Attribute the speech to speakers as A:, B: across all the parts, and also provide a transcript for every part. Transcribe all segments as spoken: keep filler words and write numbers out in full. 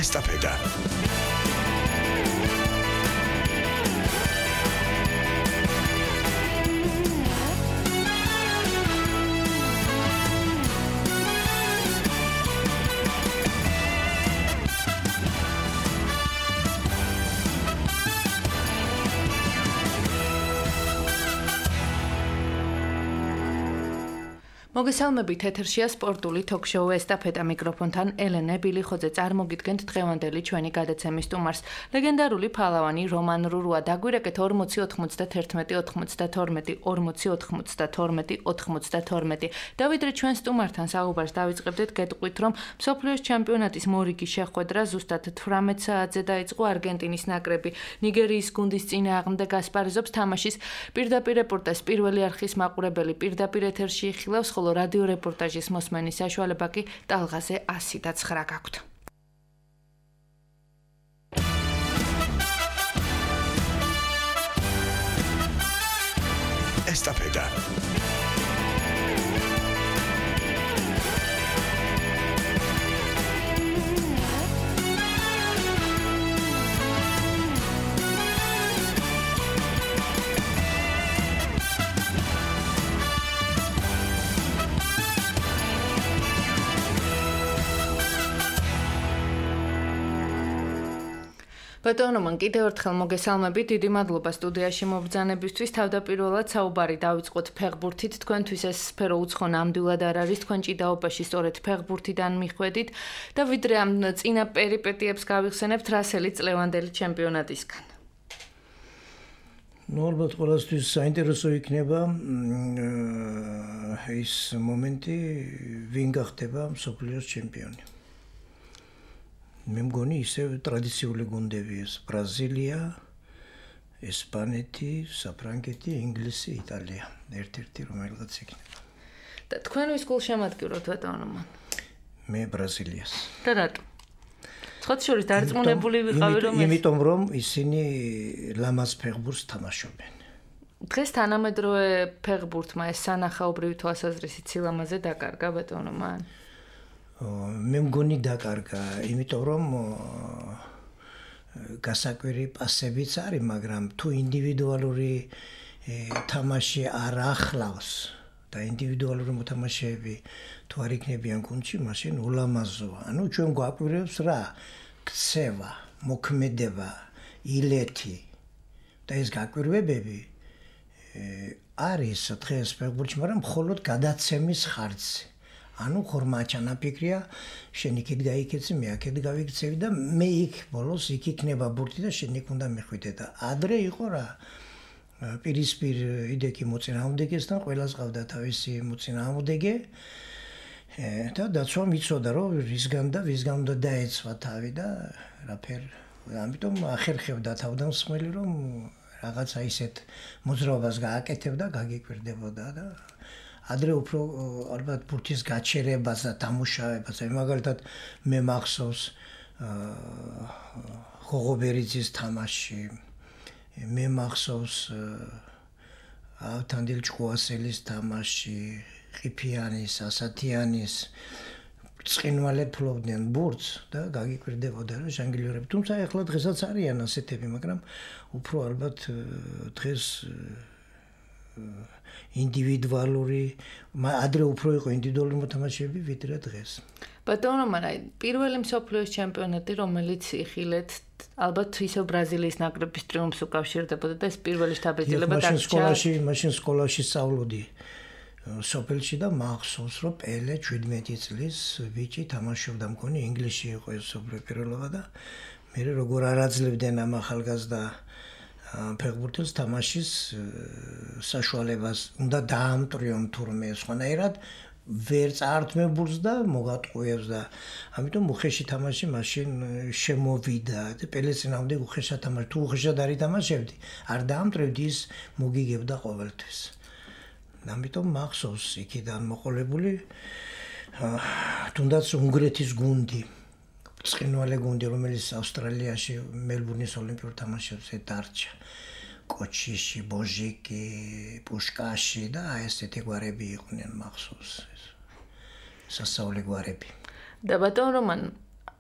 A: ესტაფეტა.
B: მოგესალმებით, ეთერშია სპორტული თოქ-შოუ ესტაფეტა მიკროფონთან ელენე ბილიხოძე. წარმოგიდგენთ დღევანდელი ჩვენი გადაცემის სტუმარს. ლეგენდარული ფალავანი რომან რურუა დაგვირეკეთ ორმოცი ოთხმოცდათერთმეტი ოთხმოცდათორმეტი ორმოცი ოთხმოცდათორმეტი ოთხმოცდათორმეტი. და ვიდრე ჩვენ სტუმართან საუბარს დავიწყებდეთ, გეტყვით, რომ მსოფლიოს ჩემპიონატის მორიგი შეხვედრა ზუსტად თვრამეტ საათზე დაიწყო არგენტინის ნაკრები ნიგერიის გუნდის წინააღმდეგ ასპარეზობს თამაშის პირდაპირ რეპორტაჟს პირველი არხის მაყურებელი პირდაპირ ეთერში იხილავს, ხოლო რადიო რეპორტაჟის მოსმენის საშუალება კი ტალღაზე ასი და ცხრა გაქვთ.
A: ესტაფეტა.
B: ბატონო, მან კიდევ ერთხელ მოგესალმებით, დიდი მადლობა სტუდიაში მობრძანებისთვის. თავდაპირველად საუბარი დავიწყოთ ფეხბურთით. თქვენთვის ეს სფერო უცხო ნამდვილად არ არის, თქვენ ჭიდაობაში სწორედ ფეხბურთიდან მიხვედით და ვიდრე ამ წინა პერიპეტიებს გავიხსენებთ, რა სელით წლევანდელი ჩემპიონატისგან.
C: ნუ ალბათ ყველასთვის საინტერესო იქნება ის მომენტი, ვინ გახდება მსოფლიოს ჩემპიონი. მე მგონი ისევ ტრადიციული გუნდები ეს ბრაზილია, ესპანეთი, საფრანგეთი, ინგლისი, იტალია. ერთ-ერთი რომელიღაც იქნება.
B: და თქვენ ვის გულს შემატკივროთ ბატონო მან?
C: მე ბრაზილიას.
B: და რატო? ცოტა შორის დარწმუნებული ვიყავი რომ ეს
C: იმიტომ რომ ისინი ლამაზ ფეხბურთს თამაშობენ.
B: დღეს თანამედროვე ფეხბურთმა ეს სანახაობრივი თვალსაზრისით სილამაზე დაკარგა ბატონო მან?
C: მე მგონი დაკარგა, იმიტომ რომ გასაკვირი პასებიც არის, მაგრამ თუ ინდივიდუალური თამაში არ ახლავს და ინდივიდუალური მოთამაშეები თუ არ იქნებიან გუნდში, მაშინ ულამაზოა. ანუ ჩვენ გვაკვირვებს რა? ქცევა, მოქმედება, ილეთი და ეს გაკვირვებები არის დღეს ფეხბურთში, მაგრამ მხოლოდ გადაცემის ხარჯზე. ანუ ხორმა ჩანაფიქრია, შენ იქით გაიქეცი, მე აქეთ გავიქცევი და მე იქ ბოლოს იქ იქნება ბურთი და შენ იქ უნდა მიხვიდე და ადრე იყო რა პირისპირ იდექი მოწინააღმდეგესთან, ყველას ყავდა თავისი მოწინააღმდეგე და დაცვამ იცოდა რომ რისგან და ვისგან უნდა დაეცვა თავი და რაფერ ამიტომ ახერხებდა თავდამსხმელი რომ რაღაცა ისეთ მოძრაობას გააკეთებდა, გაგიკვირდებოდა და ადრე უფრო ალბათ ბურთის გაჩერებას და დამუშავებას, მაგალითად მე მახსოვს ხოღობერიძის თამაში, მე მახსოვს ავთანდილ ჭკუასელის თამაში, ყიფიანის, ასათიანის ცხინვალე ფლობდნენ ბურთს და გაგიკვირდებოდა რა ჟანგლიორები. თუმცა ეხლა დღესაც არიან ასეთები, მაგრამ უფრო ალბათ დღეს ინდივიდუალური, ადრე უფრო იყო ინდივიდუალური მოთამაშეები ვიდრე დღეს.
B: ბატონო, მაგრამ პირველი მსოფლიოს ჩემპიონატი, რომელიც იხილეთ, ალბათ ისევ ბრაზილიის ნაკრების ტრიუმფს უკავშირდებოდა და ეს პირველი შთაბეჭდილება
C: დარჩა. მაშინ სკოლაში, მაშინ სკოლაში სწავლობდი სოფელში და მახსოვს, რომ პელე შვიდმეტი წლის ბიჭი თამაშობდა, მგონი ინგლისში იყო ეს სოფლიო პირველობა და მე როგორ არ აძლევდნენ ამ ახალგაზრდა ფეხბურთელს თამაშის საშუალებას უნდა დაამტრიონ თურმე სხვანაირად ვერ წაართმებულს და მოგატყუებს და ამიტომ უხეში თამაში მაშინ შემოვიდა და პელეს წინააღმდეგ უხეშად თამაში თუ უხეშად არ ითამაშებდი არ დაამტრევდი ის მოგიგებდა ყოველთვის. ამიტომ მახსოვს იქიდან მოყოლებული თუნდაც უნგრეთის გუნდი ცხინვალე გუნდი რომელიც ავსტრალიაში მელბურნის ოლიმპიურ თამაშებზე დარჩა. კოჩიში, ბოჟიკი, პუშკაში და ესეთი გვარები იყვნენ მახსოვს. სასწაული გვარები.
B: და ბატონ რომან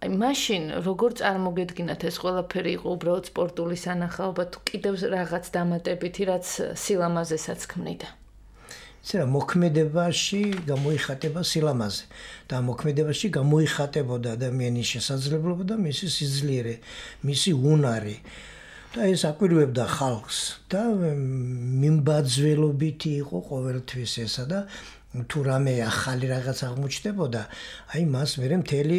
B: აი მაშინ როგორ წარმოგედგინათ ეს ყველაფერი იყო უბრალოდ სპორტული სანახაობა თუ კიდევ რაღაც დამატებითი რაც სილამაზესაც ქმნიდა?
C: წერა მოქმედებაში გამოიხატება სილამაზე და მოქმედებაში გამოიხატებოდა ადამიანის შესაძლებლობა და მისი სიძლიერე, მისი უნარი. და ეს აკვირვებდა ხალხს და მიმბაძველობითი იყო ყოველთვის ესა და თუ რამე ახალი რაღაც აღმოჩნდებოდა, აი მას მერე მთელი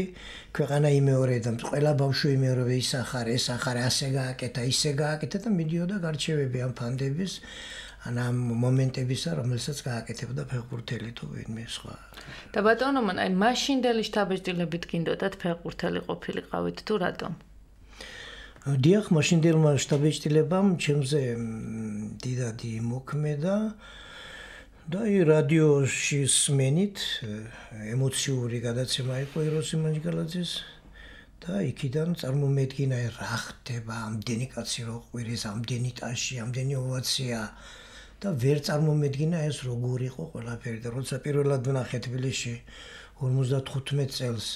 C: ქვეყანა იმეორებდა, ყველა ბავშვი იმეორებდა ის ახარ, ეს ახარ, ასე გააკეთა, ისე გააკეთა და მიდიოდა გარჩევები ამ ფანდების ან ამ მომენტებისა, რომელსაც გააკეთებდა ფეხბურთელი თუ ვინმე სხვა.
B: და ბატონო, მან აი მაშინდელი შთაბეჭდილებით გინდოდათ ფეხბურთელი ყოფილიყავით თუ რატომ?
C: დიახ, მაშინდელმა შთაბეჭდილებამ ჩემზე დიდადი მოქმედა და რადიოში სმენით ემოციური გადაცემა იყო ეროსი მანჯგალაძის და იქიდან წარმომედგინა რა ხდება, ამდენი კაცი რო ყვირის, ამდენი ტაში, ამდენი ოვაცია და ვერ წარმომედგინა ეს როგორ იყო ყველაფერი და როცა პირველად ვნახე თბილისში ორმოცდათხუთმეტ წელს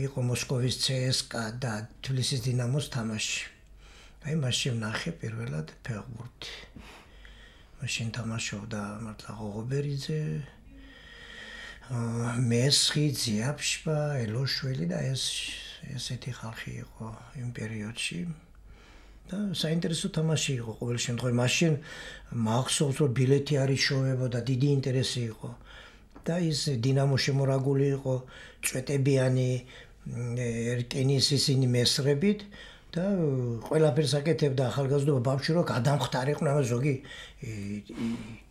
C: იყო მოსკოვის ცსკა და თბილისის დინამოს თამაში. აი მაშინ ვნახე პირველად ფეხბურთი. მაშინ თამაშობდა მართლა ღოღობერიძე, მესხი, ძიაფშპა, ელოშვილი და ეს ესეთი ხალხი იყო იმ პერიოდში. და საინტერესო თამაში იყო ყოველ შემთხვევაში. მაშინ მახსოვს რომ ბილეთი არ იშოვებოდა, დიდი ინტერესი იყო. და ის დინამო შემორაგული იყო წვეტებიანი ერკენის ისინი მესრებით და ყველაფერს აკეთებდა ახალგაზრდობა ბავშვი რო გადამხტარიყნა ზოგი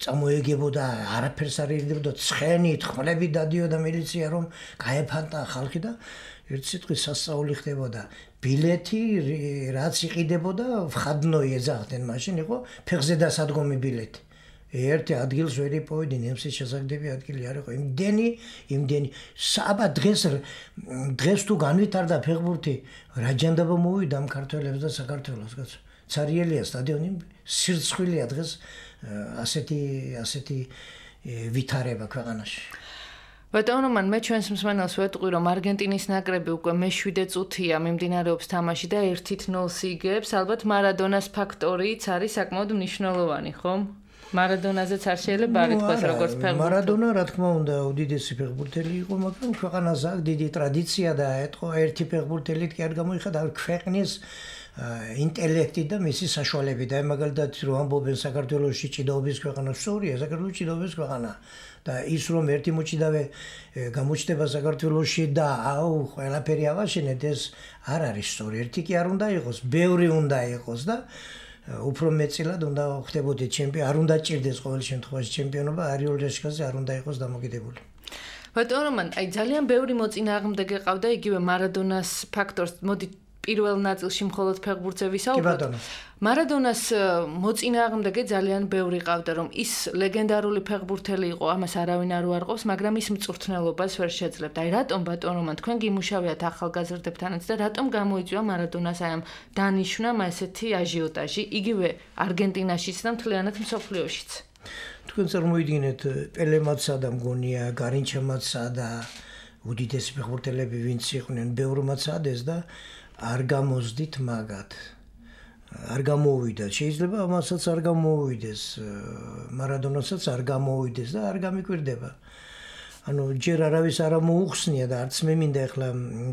C: წამოეგებოდა არაფერს არ ირდებოდა ცხენით ხმლები დადიოდა მილიცია რომ გაეფანტა ხალხი და ერთ სიტყვით სასწაული ხდებოდა ბილეთი რაც იყიდებოდა ხადნოი ეძახდნენ მაშინ იყო ფეხზე დასადგომი ბილეთი ერთი ადგილს ვერ იპოვედნენ ემსის შესაგდები ადგილი არ იყო იმდენი იმდენი საბა დღეს დღეს თუ განვითარდა ფეხბურთი რა ჯანდაბა მოვიდა ამ ქართველებს და საქართველოს კაცო ცარიელია სტადიონი სირცხვილია დღეს ასეთი ასეთი ვითარება ქვეყანაში
B: ბატონო მან მე ჩვენს მსმენელს ვეტყვი რომ არგენტინის ნაკრები უკვე მეშვიდე წუთია მიმდინარეობს თამაში და ერთით ნულს იგებს ალბათ მარადონას ფაქტორიც არის საკმაოდ მნიშვნელოვანი ხომ მარადონაზეც არ შეიძლება არ ითქვას როგორც ფეხბურთელი.
C: მარადონა რა თქმა უნდა უდიდესი ფეხბურთელი იყო, მაგრამ ქვეყანას აქვს დიდი ტრადიცია და ეთყო ერთი ფეხბურთელით კი არ გამოიხადა ქვეყნის ინტელექტი და მისი საშუალები და მაგალითად რომ ამბობენ საქართველოში ჭიდაობის ქვეყანა სწორია, საქართველოს ჭიდაობის ქვეყანა და ის რომ ერთი მოჭიდავე გამოჩნდება საქართველოში და აუ ყველაფერი ავაშენეთ ეს არ არის სწორი. ერთი კი არ უნდა იყოს, ბევრი უნდა იყოს და უფრო მეწილად უნდა ხდებოდეს ჩემპიონი, არ უნდა ჭირდეს ყოველ შემთხვევაში ჩემპიონობა, არიულ რეშკაზე არ უნდა იყოს დამოკიდებული.
B: ბატონო მან, აი ძალიან ბევრი მოწინააღმდეგე ყავდა იგივე მარადონას ფაქტორს, მოდი პირველ ნაწილში მხოლოდ ფეხბურთზე ვისაუბროთ. მარადონას მოწინააღმდეგე ძალიან ბევრი ყავდა, რომ ის ლეგენდარული ფეხბურთელი იყო, ამას არავინ არ უარყოფს, მაგრამ ის მწვრთნელობას ვერ შეძლებდა. აი რატომ ბატონო მან თქვენ გიმუშავიათ ახალგაზრდებთანაც და რატომ გამოიწვია მარადონას აი ამ დანიშვნამ ესეთი აჟიოტაჟი, იგივე არგენტინაშიც და მთლიანად მსოფლიოშიც.
C: თქვენ წარმოიდგინეთ პელემაცა და მგონია გარინჩემაცა და უდიდესი ფეხბურთელები ვინც იყვნენ, ბევრმაც ადეს და არ გამოსდით მაგათ. არ გამოვიდა. შეიძლება ამასაც არ გამოვიდეს, მარადონასაც არ გამოვიდეს და არ გამიკვირდება. ანუ ჯერ არავის არ მოუხსნია და არც მე მინდა ახლა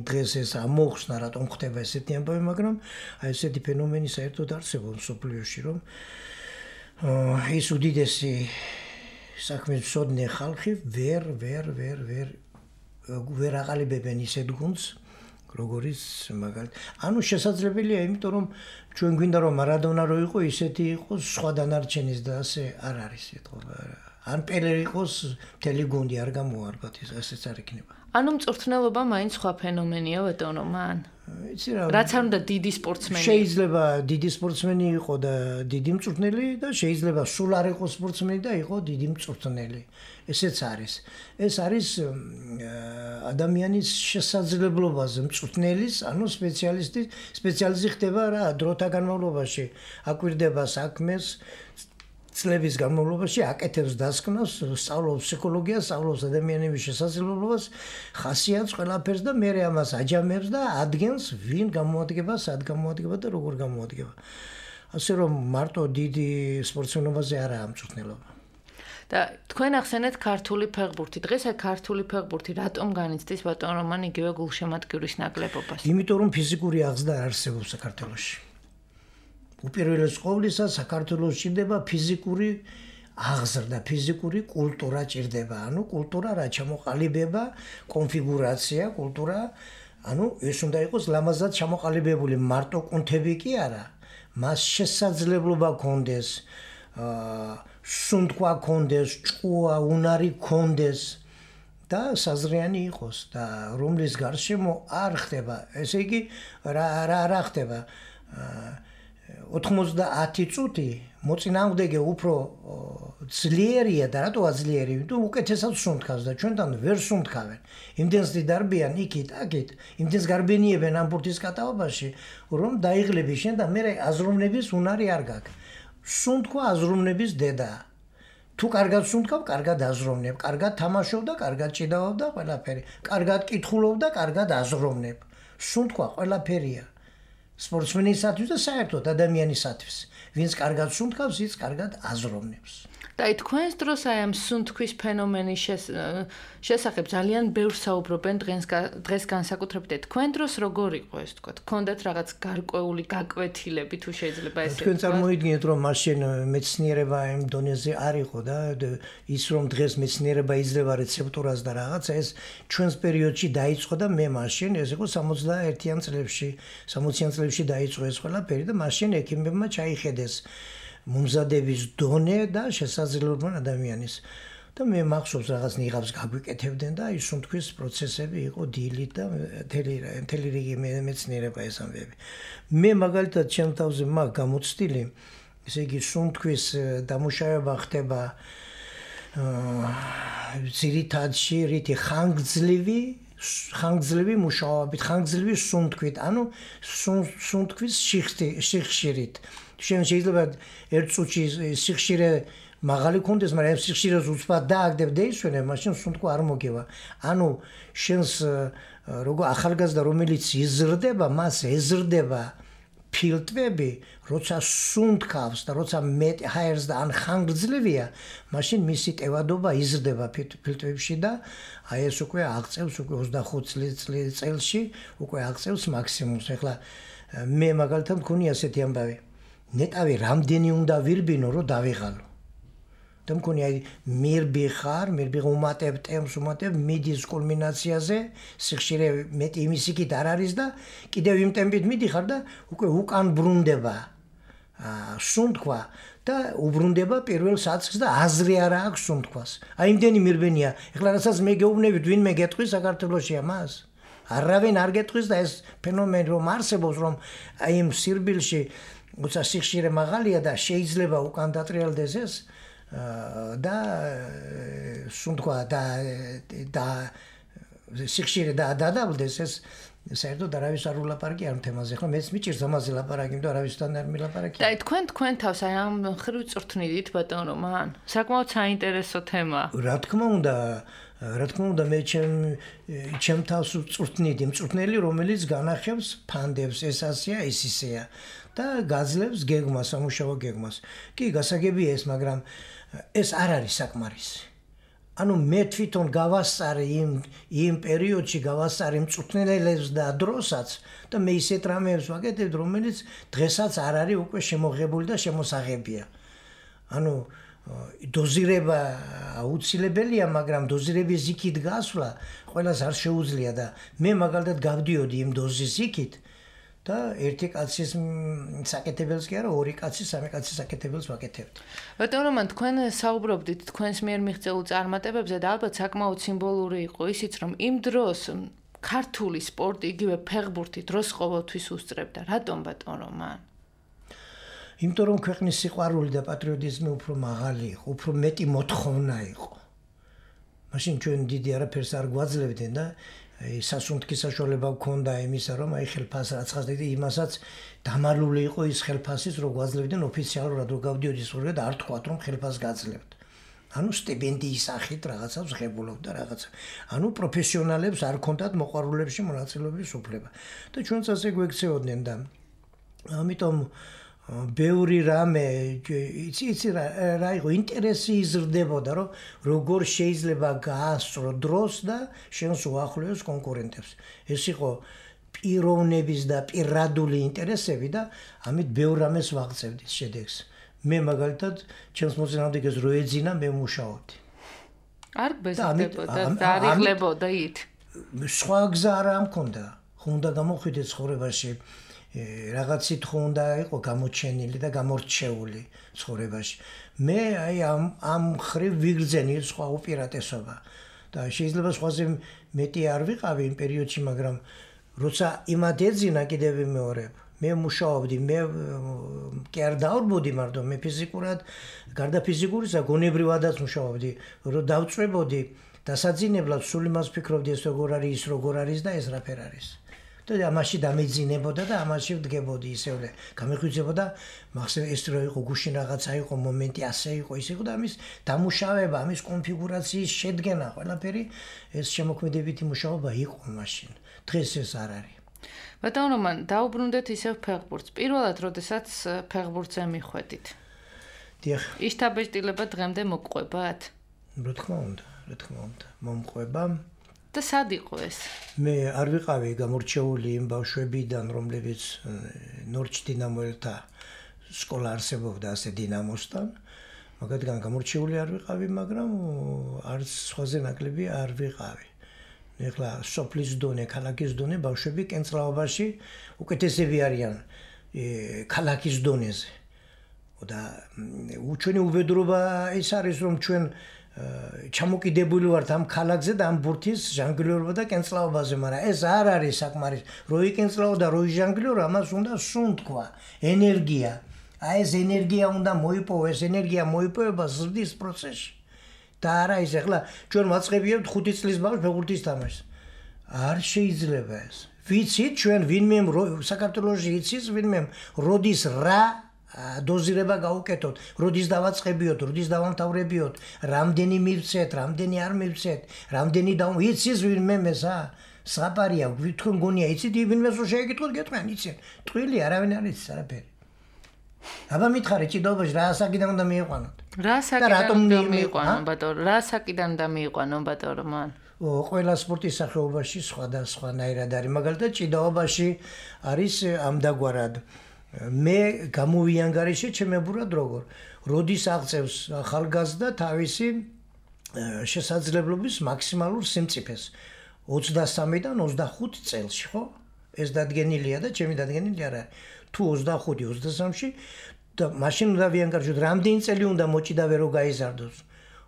C: დღეს ეს ამოხსნა რატომ ხდება ესეთი ამბავი, მაგრამ აი ესეთი ფენომენი საერთოდ არსებობს მსოფლიოში, რომ ის უდიდესი საქმის მცოდნე ხალხი ვერ ვერ ვერ ვერ ვერ აყალიბებენ ისეთ გუნდს როგორიც მაგალითად ანუ შესაძლებელია იმიტომ რომ ჩვენ გვინდა რომ მარადონა რო იყო ისეთი იყოს სხვა დანარჩენის და ასე არ არის ეთყობა ან პელე იყოს მთელი გუნდი არ გამოარბათ ეს ესეც არ იქნება
B: ანუ მწვრთნელობა მაინც სხვა ფენომენია ბატონო მან იცი რა რაც არ უნდა დიდი სპორტსმენი
C: შეიძლება დიდი სპორტსმენი იყო და დიდი მწვრთნელი და შეიძლება სულ არ იყო სპორტსმენი და იყო დიდი მწვრთნელი ესეც არის ეს არის ადამიანის შესაძლებლობაზე მწვრთნელის ანუ სპეციალისტი სპეციალიზი ხდება რა დროთა განმავლობაში აკვირდება საქმეს წლების განმავლობაში აკეთებს დასკვნას, სწავლობს ფსიქოლოგიას, სწავლობს ადამიანების შესაძლებლობას, ხასიათს ყველაფერს და მე ამას აჯამებს და ადგენს ვინ გამოადგება, სად გამოადგება და როგორ გამოადგება. ასე რომ მარტო დიდი სპორტსმენობაზე არაა მწვრთნელობა.
B: და თქვენ ახსენეთ ქართული ფეხბურთი. დღეს აი ქართული ფეხბურთი რატომ განიცდის ბატონ რომან იგივე გულშემატკივრის ნაკლებობას?
C: იმიტომ რომ ფიზიკური აღზრდა არსებობს საქართველოში. უპირველეს ყოვლისა საქართველოს ჭირდება ფიზიკური აღზრდა, ფიზიკური კულტურა ჭირდება. ანუ კულტურა რა ჩამოყალიბება, კონფიგურაცია, კულტურა, ანუ ეს უნდა იყოს ლამაზად ჩამოყალიბებული, მარტო კუნთები კი არა. მას შესაძლებლობა გქონდეს, აა სუნთქვა გქონდეს, ჭკუა, უნარი გქონდეს და საზრიანი იყოს და რომლის გარშემო არ ხდება, ესე იგი რა რა რა ხდება? ოთხმოცდაათი წუთი მოწინააღმდეგე უფრო ძლიერია და რატოა ძლიერი? იმიტომ უკეთესად სუნთქავს და ჩვენთან ვერ სუნთქავენ. იმდენს დიდარბიან იქით, აქით, იმდენს გარბენიებენ ამ ბურთის კატაობაში, რომ დაიღლები შენ და მე აზროვნების უნარი არ გაქვს. სუნთქვა აზროვნების დედაა. თუ კარგად სუნთქავ, კარგად აზროვნებ, კარგად თამაშობ და კარგად ჭიდავ და ყველაფერი. კარგად კითხულობ და კარგად აზროვნებ. სუნთქვა ყველაფერია. სპორტსმენისათვის და საერთოდ ადამიანისათვის. ვინც კარგად სუნთქავს, ის კარგად აზროვნებს.
B: და აი თქვენს დროს აი ამ სუნთქვის ფენომენის შესახებ ძალიან ბევრს საუბრობენ დღეს დღეს განსაკუთრებით. თქვენ დროს როგორ იყო ეს თქვა? გქონდათ რაღაც გარკვეული გაკვეთილები თუ შეიძლება ესე?
C: თქვენ წარმოიდგინეთ რომ მაშინ მეცნიერება იმ დონეზე არ იყო და ის რომ დღეს მეცნიერება იძლევა რეცეპტურას და რაღაცა ეს ჩვენს პერიოდში დაიწყო და მე მაშინ ეს იყო სამოცდაერთიან წლებში, სამოციან წლებში დაიწყო ეს ყველაფერი და მაშინ ექიმებმა ჩაიხედეს მომზადების დონე და შესაძლებლობა ადამიანის და მე მახსოვს რაღაც ნიღაბს გაგვიკეთებდნენ და ის სუნთქვის პროცესები იყო დილით და მთელი რიგი მეცნიერება ეს ამბები. მე მაგალითად ჩემ თავზე მაგ გამოცდილი, ესე იგი სუნთქვის დამუშავება ხდება ძირითადში რითი ხანგრძლივი ხანგრძლივი მუშაობით, ხანგრძლივი სუნთქვით, ანუ სუნთქვის სიხშირით. შენ შეიძლება ერთ წუთში სიხშირე მაღალი კონდეს, მაგრამ სიხშირეს უცბად დააგდებ და ისვენებ, მაშინ სუნთქვა არ მოგევა. ანუ შენს როგორ ახალგაზრდა რომელიც იზრდება, მას ეზრდება ფილტვები, როცა სუნთქავს და როცა მეტ ჰაერს და ან ხანგრძლივია, მაშინ მისი ტევადობა იზრდება ფილტვებში და აი ეს უკვე აღწევს უკვე ოცდახუთ წელში უკვე აღწევს მაქსიმუმს. ეხლა მე მაგალითად მქონია ასეთი ამბავი. ნეტავი რამდენი უნდა ვირბინო, რომ დავიღალო. და მქონია მირბიხარ, მირბიხ უმატებ ტემს, უმატებ მიდის კულმინაციაზე, სიხშირე მეტი იმისიქით არ არის და კიდევ იმ ტემპით მიდიხარ და უკვე უკან ბრუნდება სუნთქვა და უბრუნდება პირველ საწყს და აზრი არ აქვს სუნთქვას. აი იმდენი მირბენია. ეხლა რასაც მე გეუბნებით, ვინმე გეტყვის საქართველოში ამას? არავინ არ გეტყვის და ეს ფენომენი რომ არსებობს, რომ აი იმ სირბილში უცა სიხშირე მაღალია და შეიძლება უკან დატრიალდეს ეს და სუნთქვა და და სიხშირე და დადაბლდეს ეს საერთოდ არავის არ ულაპარაკი ამ თემაზე. ხო მეც მიჭირს ამაზე ლაპარაკი, იმიტომ არავისთან არ მილაპარაკი.
B: და თქვენ თქვენ თავს აი ამ ხრივ წვრთნით ბატონ რომან? საკმაოდ საინტერესო თემაა.
C: რა თქმა უნდა, რა თქმა უნდა მე ჩემ ჩემ თავს წვრთნით, იმ წვრთნელი რომელიც განახებს ფანდებს, ეს ასია, ის ისეა და გაძლევს გეგმას, სამუშაო გეგმას. კი, გასაგებია ეს, მაგრამ ეს არ არის საკმარისი. ანუ მე თვითონ გავასწარი იმ იმ პერიოდში გავასწარი მწვრთნელებს და დროსაც და მე ისეთ რამეებს ვაკეთებ, რომელიც დღესაც არ არის უკვე შემოღებული და შემოსაღებია. ანუ დოზირება აუცილებელია, მაგრამ დოზირების იქით გასვლა ყველას არ შეუძლია და მე მაგალითად გავდიოდი იმ დოზის იქით და ერთი კაცის საკეთებელს კი არა, ორი კაცის, სამი კაცის საკეთებელს ვაკეთებდი.
B: ბატონ რომან, თქვენ საუბრობდით თქვენს მიერ მიღწეულ წარმატებებზე და ალბათ საკმაოდ სიმბოლური იყო ისიც, რომ იმ დროს ქართული სპორტი, იგივე ფეხბურთი დროს ყოველთვის უსწრებდა. რატომ ბატონ რომან?
C: იმიტომ რომ ქვეყნის სიყვარული და პატრიოტიზმი უფრო მაღალი იყო, უფრო მეტი მოთხოვნა იყო. მაშინ ჩვენ დიდი არაფერს არ გვაძლევდნენ და სასუნთქი საშუალება გქონდა იმისა, რომ აი ხელფას რაცხას დიდი იმასაც დამალული იყო ის ხელფასის, რომ გვაძლევდნენ ოფიციალურად რომ გავდიოდი სწორედ და არ თქვათ რომ ხელფას გაძლევთ. ანუ სტიპენდიის სახით რაღაცას ღებულობდა რაღაცა. ანუ პროფესიონალებს არ ქონდათ მოყვარულებში მონაწილეობის უფლება. და ჩვენც ასე გვექცეოდნენ და ამიტომ ბევრი რამე იცი იცი რა იყო ინტერესი იზრდებოდა რომ როგორ შეიძლება გაასწრო დროს და შენს უახლოეს კონკურენტებს. ეს იყო პიროვნების და პირადული ინტერესები და ამით ბევრ რამეს ვაღწევდით შედეგს. მე მაგალითად ჩემს მოწინააღმდეგეს რო ეძინა მე მუშაობდი.
B: არ გბეზდებოდა და არ იღლებოდა ით.
C: სხვა გზა არ მქონდა. ხუნდა გამოხვიდე ცხოვრებაში. რაღაცით ხუნდა იყო გამოჩენილი და გამორჩეული ცხოვრებაში. მე აი ამ ამ ხრივ ვიგრძენი სხვა უპირატესობა და შეიძლება სხვაზე მეტი არ ვიყავი იმ პერიოდში, მაგრამ როცა იმად ეძინა კიდევ ვიმეორებ. მე მუშაობდი, მე კი არ დავრბოდი მარტო, მე ფიზიკურად, გარდა ფიზიკურისა, გონებრივადაც მუშაობდი, რომ დავწვებოდი დასაძინებლად სულ იმას ვფიქრობდი, ეს როგორ არის, ის როგორ არის და ეს რაფერ არის. და ამაში დამეძინებოდა და ამაში ვდგებოდი ისევე. გამიხვიძებოდა, მახსოვს ეს რო იყო გუშინ რაღაცა იყო, მომენტი ასე იყო, ის იყო და ამის დამუშავება, ამის კონფიგურაციის შედგენა, ყველაფერი ეს შემოქმედებითი მუშაობა იყო მაშინ. დღეს ეს არ არის.
B: ბატონ რომან, დაუბრუნდეთ ისევ ფეხბურთს. პირველად, როდესაც ფეხბურთზე მიხვედით.
C: დიახ.
B: ისთაბეჭდილება დღემდე მოგყვებათ?
C: რა თქმა უნდა, რა თქმა უნდა, მომყვება.
B: და სად იყო ეს?
C: მე არ ვიყავი გამორჩეული იმ ბავშვებიდან, რომლებიც ნორჩ დინამოელთა სკოლა არსებობდა ასე დინამოსთან. მაგათგან გამორჩეული არ ვიყავი, მაგრამ არც სხვაზე ნაკლები არ ვიყავი. ეხლა სოფლის დონე, ქალაქის დონე ბავშვები კენწლაობაში უკეთესები არიან ქალაქის დონეზე. და ჩვენი უბედურობა ის არის, რომ ჩვენ ჩამოკიდებული ვართ ამ ქალაქზე და ამ ბურთის ჟანგლიორობა და კენწლაობაზე, მაგრამ ეს არ არის საკმარის. რო იკენწლაო და რო იჟანგლიორო, ამას უნდა სუნთქვა, ენერგია. აი ეს ენერგია უნდა მოიპოვო, ეს ენერგია მოიპოვება ზრდის პროცესში. და არა ის ახლა ჩვენ მაწყებიებთ ხუთი წლის ბავშვს ფეხბურთის თამაშს. არ შეიძლება ეს. ვიცით ჩვენ ვინმე საქართველოში იცის ვინმე როდის რა დოზირება გაუკეთოთ, როდის დავაწყებიოთ, როდის დავამთავრებიოთ, რამდენი მივცეთ, რამდენი არ მივცეთ, რამდენი და იცის ვინმე მესა. საპარია, თქვენ გონია იცით ვინმეს რო შეეკითხოთ, გეტყვიან იციან. ტყილი არავინ არ იცის არაფერი. აბა მითხარი ჭიდაობაში რა საკიდან უნდა მიიყვანოთ?
B: რა საკიდან უნდა მიიყვანონ ბატონო? რა საკიდან უნდა მიიყვანონ ბატონო მან?
C: ო ყველა სპორტის სახეობაში სხვადასხვანაირად არის. მაგალითად ჭიდაობაში არის ამდაგვარად. მე გამოვიანგარიშე ჩემებურად როგორ. როდის აღწევს ახალგაზრდა თავისი შესაძლებლობის მაქსიმალურ სიმწიფეს. ოცდასამიდან ოცდახუთ წელში, ხო? ეს დადგენილია და ჩემი დადგენილი არ არის. თუ ოცდახუთი ოცდასამში და მაშინ უნდა ვიანგარიშოთ, რამდენი წელი უნდა მოჭიდავე რომ გაიზარდოს?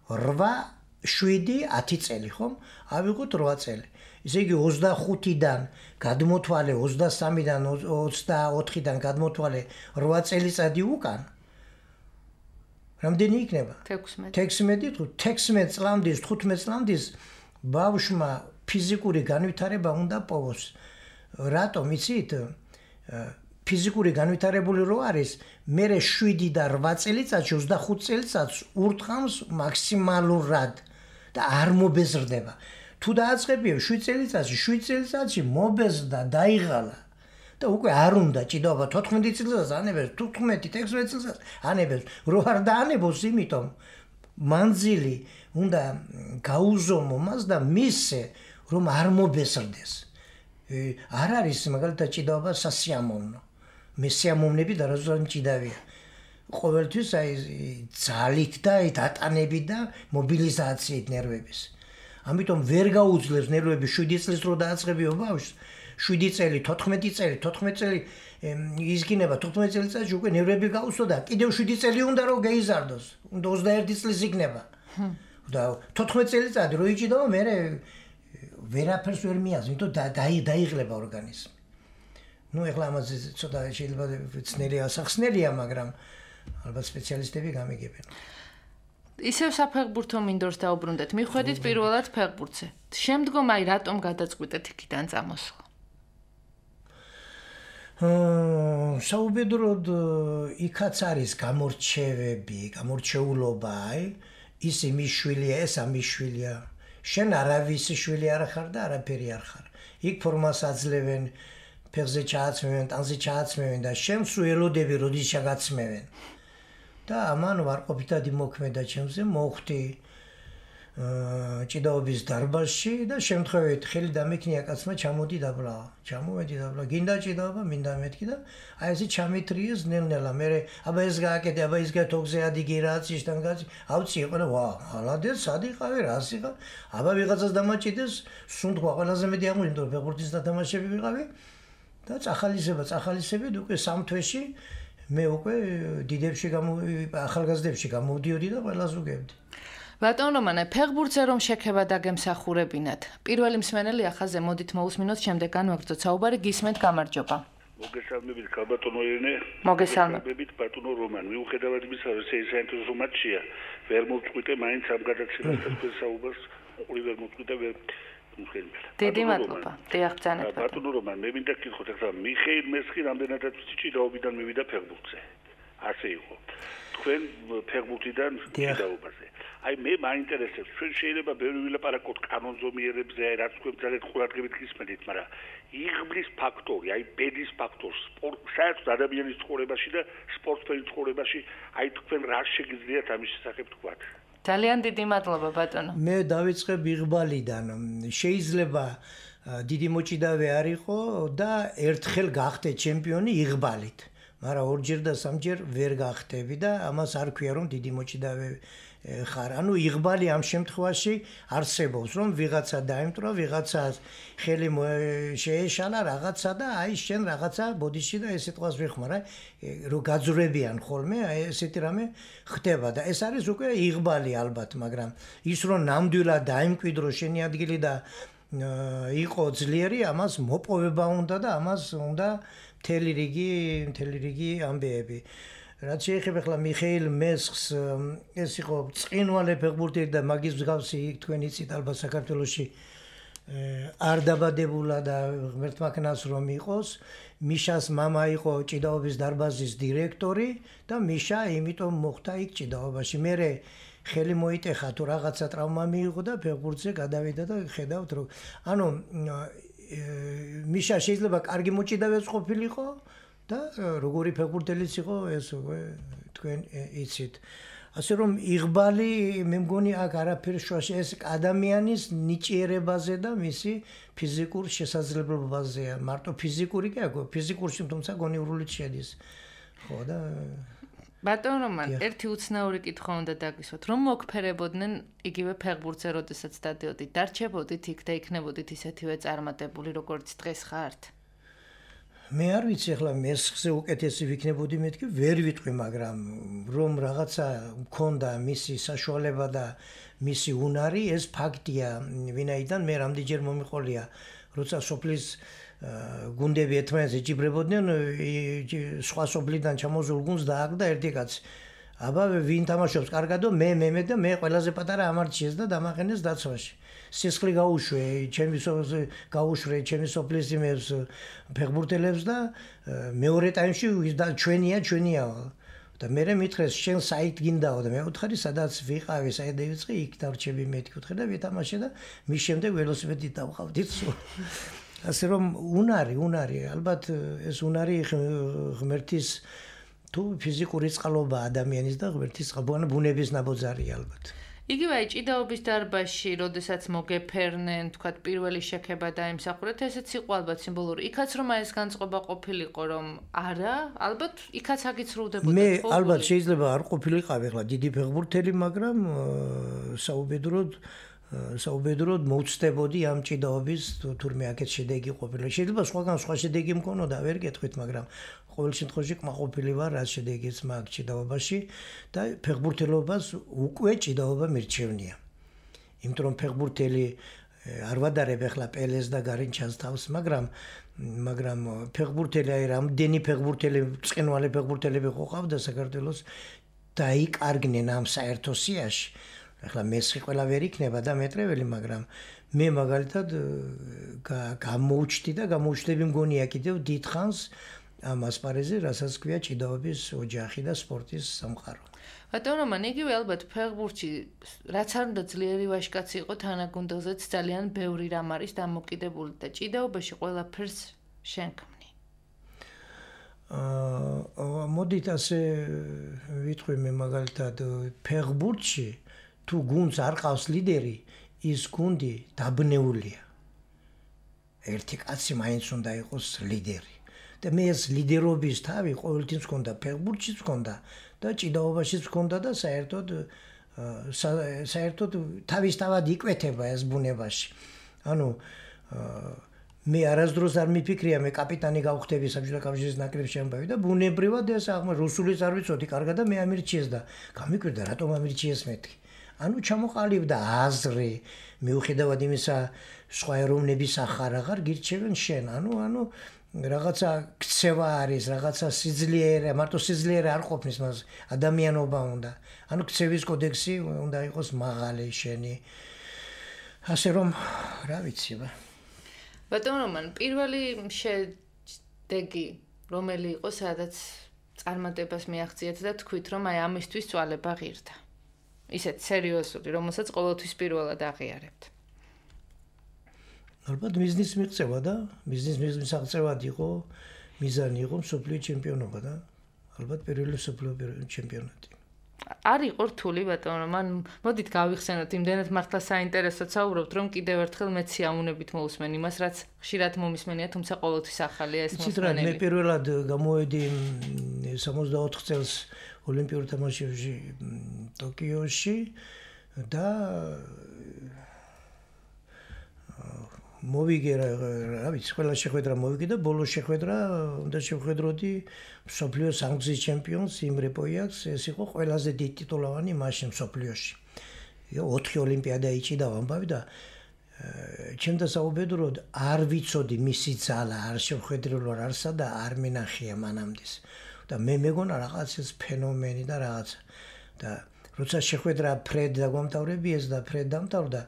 C: რვა, შვიდი, ათი წელი, ხო? ავიღოთ რვა წელი. ისე იგი ოცდახუთიდან გადმოთვალე ოცდასამიდან ოცდაოთხიდან გადმოთვალე რვა წელიწადი უკან. რამდენი იქნება? თექვსმეტი, თექვსმეტ წლამდის, თხუთმეტ წლამდის ბავშვმა ფიზიკური განვითარება უნდა პოვოს. რატომ იცით? ფიზიკური განვითარებული რო არის, მერე შვიდი და რვა წელიწადში ოცდახუთ წელიწადს ურტყამს მაქსიმალურად და არ მობეზრდება. თუ დააწყებიო შვიდ წელიწადში, შვიდ წელიწადში მობეზრდა, დაიღალა და უკვე არ უნდა ჭიდაობა თოთხმეტი წელიწადს ანებებს, თუთხმეტი, თექვსმეტი წელიწადს ანებებს, რო არ დაანებოს, იმიტომ მანძილი უნდა გაუზომო მას და მისცე, რომ არ მობეზრდეს. არ არის მაგალითად ჭიდაობა სასიამოვნო. მე სიამოვნები და რაზოა მჭიდავია. ყოველთვის აი ძალით და დატანებით და მობილიზაციით ნერვების. ამიტომ ვერ გაუძლებს ნერვები შვიდი წლის რო დააწყებიო ბავშვს, შვიდი წელი, თოთხმეტი წელი, თოთხმეტი წელი იზგინება, თოთხმეტი წელიწადში უკვე ნერვები გაუსვა და კიდევ შვიდი წელი უნდა რომ გაიზარდოს. უნდა ოცდაერთი წლის იქნება. და თოთხმეტი წელიწადი რო იჭიდაო, მე ვერაფერს ვერ მიას, იმიტომ დაიღლება ორგანიზმი. ნუ ეხლა ამაზე ცოტა შეიძლება ცნელი ასახსნელია, მაგრამ ალბათ სპეციალისტები გამიგებენ.
B: ისევ საფეხბურთო მინდორს დაუბრუნდეთ. მიხვედით პირველად ფეხბურთზე. შემდგომ აი რატომ გადაწყვიტეთ იქიდან წამოსვლა?
C: საუბედროდ იქაც არის გამორჩევები, გამორჩეულობა, აი ის იმის შვილია, ეს ამის შვილია. შენ არავის შვილი არ ხარ და არაფერი არ ხარ. იქ ფორმას აძლევენ, ფეხზე ჩააცმევენ, ტანზე ჩააცმევენ და შენ სულ ელოდები როდის ჩაგაცმევენ. და ამან ვარყოფითად იმოქმედა ჩემზე, მოხვდი ჭიდაობის დარბაზში და შემთხვევით ხელი დამექნია კაცმა ჩამოდი დაბლა. ჩამოვედი დაბლა. გინდა ჭიდაობა, მინდა მეთქი და აი ესე ჩამეთრიეს ნელ-ნელა. მე აბა ეს გააკეთე, აბა ის გათოგზე ადიგი რაც ისთან გაჩი. ავცი იყო და ვა, ალადეს სადიყავი, რას იყავ? აბა ვიღაცას დამაჭიდეს, სუნთქვა ყველაზე მეტი აღმოჩნდა ფეხბურთის დათამაშები ვიყავი და წახალისება, წახალისებით უკვე სამ თვეში მე უკვე დიდებში გამო ახალგაზრდებში გამოვდიოდი და ყველას უგებდი.
B: ბატონ რომანე, ფეხბურთზე რომ შექება დაგემსახურებინათ. პირველი მსმენელი ახაზე მოდით მოусმინოთ, შემდეგ განვაგრძოთ საუბარი, გისმენთ, გამარჯობა.
A: მოგესალმებით, ბატონო ირინე.
B: მოგესალმებით,
A: ბატონო რომან. მიუხედავად იმისა, რომ საინტერესო მატჩია, ვერ მოვწყვიტე მაინც ამ გადაცემას და საუბარს, ორი ვერ მოვწყვიტე ვერ
B: დიდი მადლობა. დიახ, ბრძანეთ.
A: ბატონო რომან, მე მინდა გითხოთ, ახლა მიხეილ მესხი რამდენადაც ჭიდაობიდან მივიდა ფეხბურთზე. ასე იყო. თქვენ ფეხბურთიდან ჭიდაობაზე. აი მე მაინტერესებს, ჩვენ შეიძლება ბევრი ვილაპარაკოთ კანონზომიერებზე, რაც თქვენ ძალიან ყურადღებით გისმენთ, მაგრამ იღბლის ფაქტორი, აი ბედის ფაქტორი, სპორტ, საერთოდ ადამიანის ცხოვრებაში და სპორტსმენის ცხოვრებაში, აი თქვენ რა შეგიძლიათ ამის შესახებ თქვათ?
B: ძალიან დიდი მადლობა, ბატონო.
C: მე დავიწყებ იღბალიდან. შეიძლება დიდი მოჭიდავე არ იყო და ერთხელ გახდე ჩემპიონი იღბალით. მაგრამ ორჯერ და სამჯერ ვერ გახდები და ამას არ ქვია რომ დიდი მოჭიდავე ხარ. ანუ იღბალი ამ შემთხვევაში არსებობს, რომ ვიღაცა დაემტვრა, ვიღაცას ხელი შეეშალა რაღაცა და აი შენ რაღაცა ბოდიში და ეს სიტყვას ვიხმარა, რომ გაძვრებიან ხოლმე, აი ესეთი რამე ხდება და ეს არის უკვე იღბალი ალბათ, მაგრამ ის რომ ნამდვილად დაიმკვიდრო შენი ადგილი და იყო ძლიერი, ამას მოპოვება უნდა და ამას უნდა მთელი რიგი, მთელი რიგი ამბეები. რაც შეეხება ახლა მიხეილ მესხს, ეს იყო წინვალე ფეხბურთელი და მაგის მსგავსი თქვენ იცით ალბათ საქართველოში არ დაბადებულა და ღმერთმა ქნას რომ იყოს. მიშას მამა იყო ჭიდაობის დარბაზის დირექტორი და მიშა იმიტომ მოხვდა იქ ჭიდაობაში. მე ხელი მოიტეხა თუ რაღაცა ტრავმა მიიღო და ფეხბურთზე გადავიდა და ხედავთ რომ ანუ მიშა შეიძლება კარგი მოჭიდავეც ყოფილიყო და როგორი ფეხბურთელიც იყო ეს თქვენ იცით. ასე რომ იღბალი მე მგონი აქ არაფერ შუაში ეს ადამიანის ნიჭიერებაზე და მისი ფიზიკურ შესაძლებლობაზეა. მარტო ფიზიკური კი აქვს, ფიზიკურში თუმცა გონივრულიც შედის. ხო და
B: ბატონ რომან, ერთი უცნაური კითხვა უნდა დაგისვათ, რომ მოგფერებოდნენ იგივე ფეხბურთზე, როდესაც დადიოდით, დარჩებოდით იქ და იქნებოდით ისეთივე წარმატებული, როგორც დღეს ხართ?
C: მე არ ვიცი ახლა მესხზე უკეთესი ვიქნებოდი მეთქი, ვერ ვიტყვი, მაგრამ რომ რაღაცა მქონდა მისი საშუალება და მისი უნარი, ეს ფაქტია, ვინაიდან მე რამდენჯერ მომიყოლია, როცა სოფლის გუნდები ერთმანეთს ეჯიბრებოდნენ, სხვა სოფლიდან ჩამოზულ გუნდს დააგდა ერთი კაცი. აბა ვინ თამაშობს კარგადო, მე მე და მე ყველაზე პატარა ამარჩიეს და დამაყენეს დაცვაში. სისხლი გაუშვე, ჩემი გაუშვე, ჩემი სოფლის იმებს ფეხბურთელებს და მეორე ტაიმში ჩვენია, ჩვენია. და მე მითხრეს, შენ საით გინდაო და მე ვუთხარი, სადაც ვიყავი, საით დავიწყე, იქ დარჩები მეთქი ვუთხე და ვითამაშე და მის შემდეგ ველოსიპედით დავყავდი. ასე რომ უნარი, უნარი, ალბათ ეს უნარი ღმერთის თუ ფიზიკური წყალობა ადამიანის და ღმერთის წყალობა ბუნების ნაბოძარია ალბათ.
B: იგივე აი ჭიდაობის დარბაზში, როდესაც მოგეფერნენ, თქვათ პირველი შექება დაიმსახურეთ, ესეც იყო ალბათ სიმბოლური. იქაც რომ აი ეს განწყობა ყოფილიყო, რომ არა, ალბათ იქაც აგიცრუვდებოდა.
C: მე ალბათ შეიძლება არ ყოფილიყავი ახლა დიდი ფეხბურთელი, მაგრამ საუბედროდ საუბედროდ მოვწდებოდი ამ ჭიდაობის თურმე აქეთ შედეგი ყოფილა. შეიძლება სხვაგან სხვა შედეგი მქონოდა, ვერ გეტყვით, მაგრამ ყოველ შემთხვევაში კმაყოფილი ვარ რა შედეგიც მაგ ჭიდაობაში და ფეხბურთელობას უკვე ჭიდაობა მირჩევნია. იმიტომ რომ ფეხბურთელი არ ვადარებ ახლა პელეს და გარინჩას თავს, მაგრამ მაგრამ ფეხბურთელი აი რამდენი ფეხბურთელი, წინვალი ფეხბურთელები ყავდა საქართველოს დაიკარგნენ ამ საერთო სიაში. ახლა მესხი ყველა ვერ იქნება და მეტრეველი, მაგრამ მე მაგალითად გამოვჩდი და გამოვჩდები მგონია კიდევ დიდხანს ამ ასპარეზზე, რასაც ქვია ჭიდაობის ოჯახი და სპორტის სამყარო.
B: ბატონო, მან იგივე ალბათ ფეხბურთში რაც არ უნდა ძლიერი ვაჟკაცი იყო თანაგუნდელზეც ძალიან ბევრი რამ არის დამოკიდებული და ჭიდაობაში ყველაფერს შენ ქმნი.
C: აა მოდით ასე ვიტყვი მე მაგალითად ფეხბურთში თუ გუნდს არ ყავს ლიდერი, ის გუნდი დაბნეულია. ერთი კაცი მაინც უნდა იყოს ლიდერი. და მე ეს ლიდერობის თავი ყოველთვის მქონდა, ფეხბურთშიც მქონდა და ჭიდაობაშიც მქონდა და საერთოდ საერთოდ თავისთავად იკვეთება ეს ბუნებაში. ანუ მე არასდროს არ მიფიქრია მე კაპიტანი გავხდები საბჭოთა კავშირის ნაკრებში ამბავი და ბუნებრივად ეს აღმო რუსულიც არ ვიცოდი კარგად და მე ამირჩიეს და გამიკვირდა რატომ ამირჩიეს მეთქი. ანუ ჩამოყალიბდა აზრი მიუხედავად იმისა სხვა ეროვნების ახარ აღარ გირჩევენ შენ. ანუ ანუ რაღაცა ქცევა არის, რაღაცა სიძლიერე, მარტო სიძლიერე არ ყოფნის მას, ადამიანობა უნდა. ანუ ქცევის კოდექსი უნდა იყოს მაღალი შენი. ასე რომ, რა ვიცი ბა.
B: ბატონო, მან პირველი შედეგი რომელი იყო, სადაც წარმატებას მიაღწიეთ და თქვით, რომ აი ამისთვის წვალება ღირდა. ისეთ სერიოზული, რომელსაც ყოველთვის პირველად აღიარებთ.
C: ალბათ მიზნის მიღწევა და მიზნის მისაღწევად იყო, მიზანი იყო მსოფლიო ჩემპიონობა და ალბათ პირველი მსოფლიო ჩემპიონატი.
B: არ იყო რთული ბატონო, მან მოდით გავიხსენოთ, იმდენად მართლა საინტერესოდ საუბრობთ, რომ კიდევ ერთხელ მეც სიამოვნებით მოусმენ იმას, რაც ხშირად მომისმენია, თუმცა ყოველთვის ახალია ეს
C: მოსმენელი. მე პირველად გამოვედი სამოცდაოთხ წელს ოლიმპიურ თამაშებში ტოკიოში და მოვიგე რა ვიცი, ყველა შეხვედრა მოვიგე და ბოლო შეხვედრა უნდა შევხედროდი მსოფლიო სამგზის ჩემპიონს იმრე პოიაკს, ეს იყო ყველაზე დიდი ტიტულოვანი მაშინ მსოფლიოში. ოთხი ოლიმპიადა იჭიდა ამბავი და ჩემ დასაუბედროდ არ ვიცოდი მისი ძალა, არ შევხედრილო არსა და არ მინახია მანამდეს. და მე მეგონა რაღაც ეს ფენომენი და რაღაც და როცა შეხვედრა ფრედ დაგვამთავრებიეს და ფრედ დამთავრდა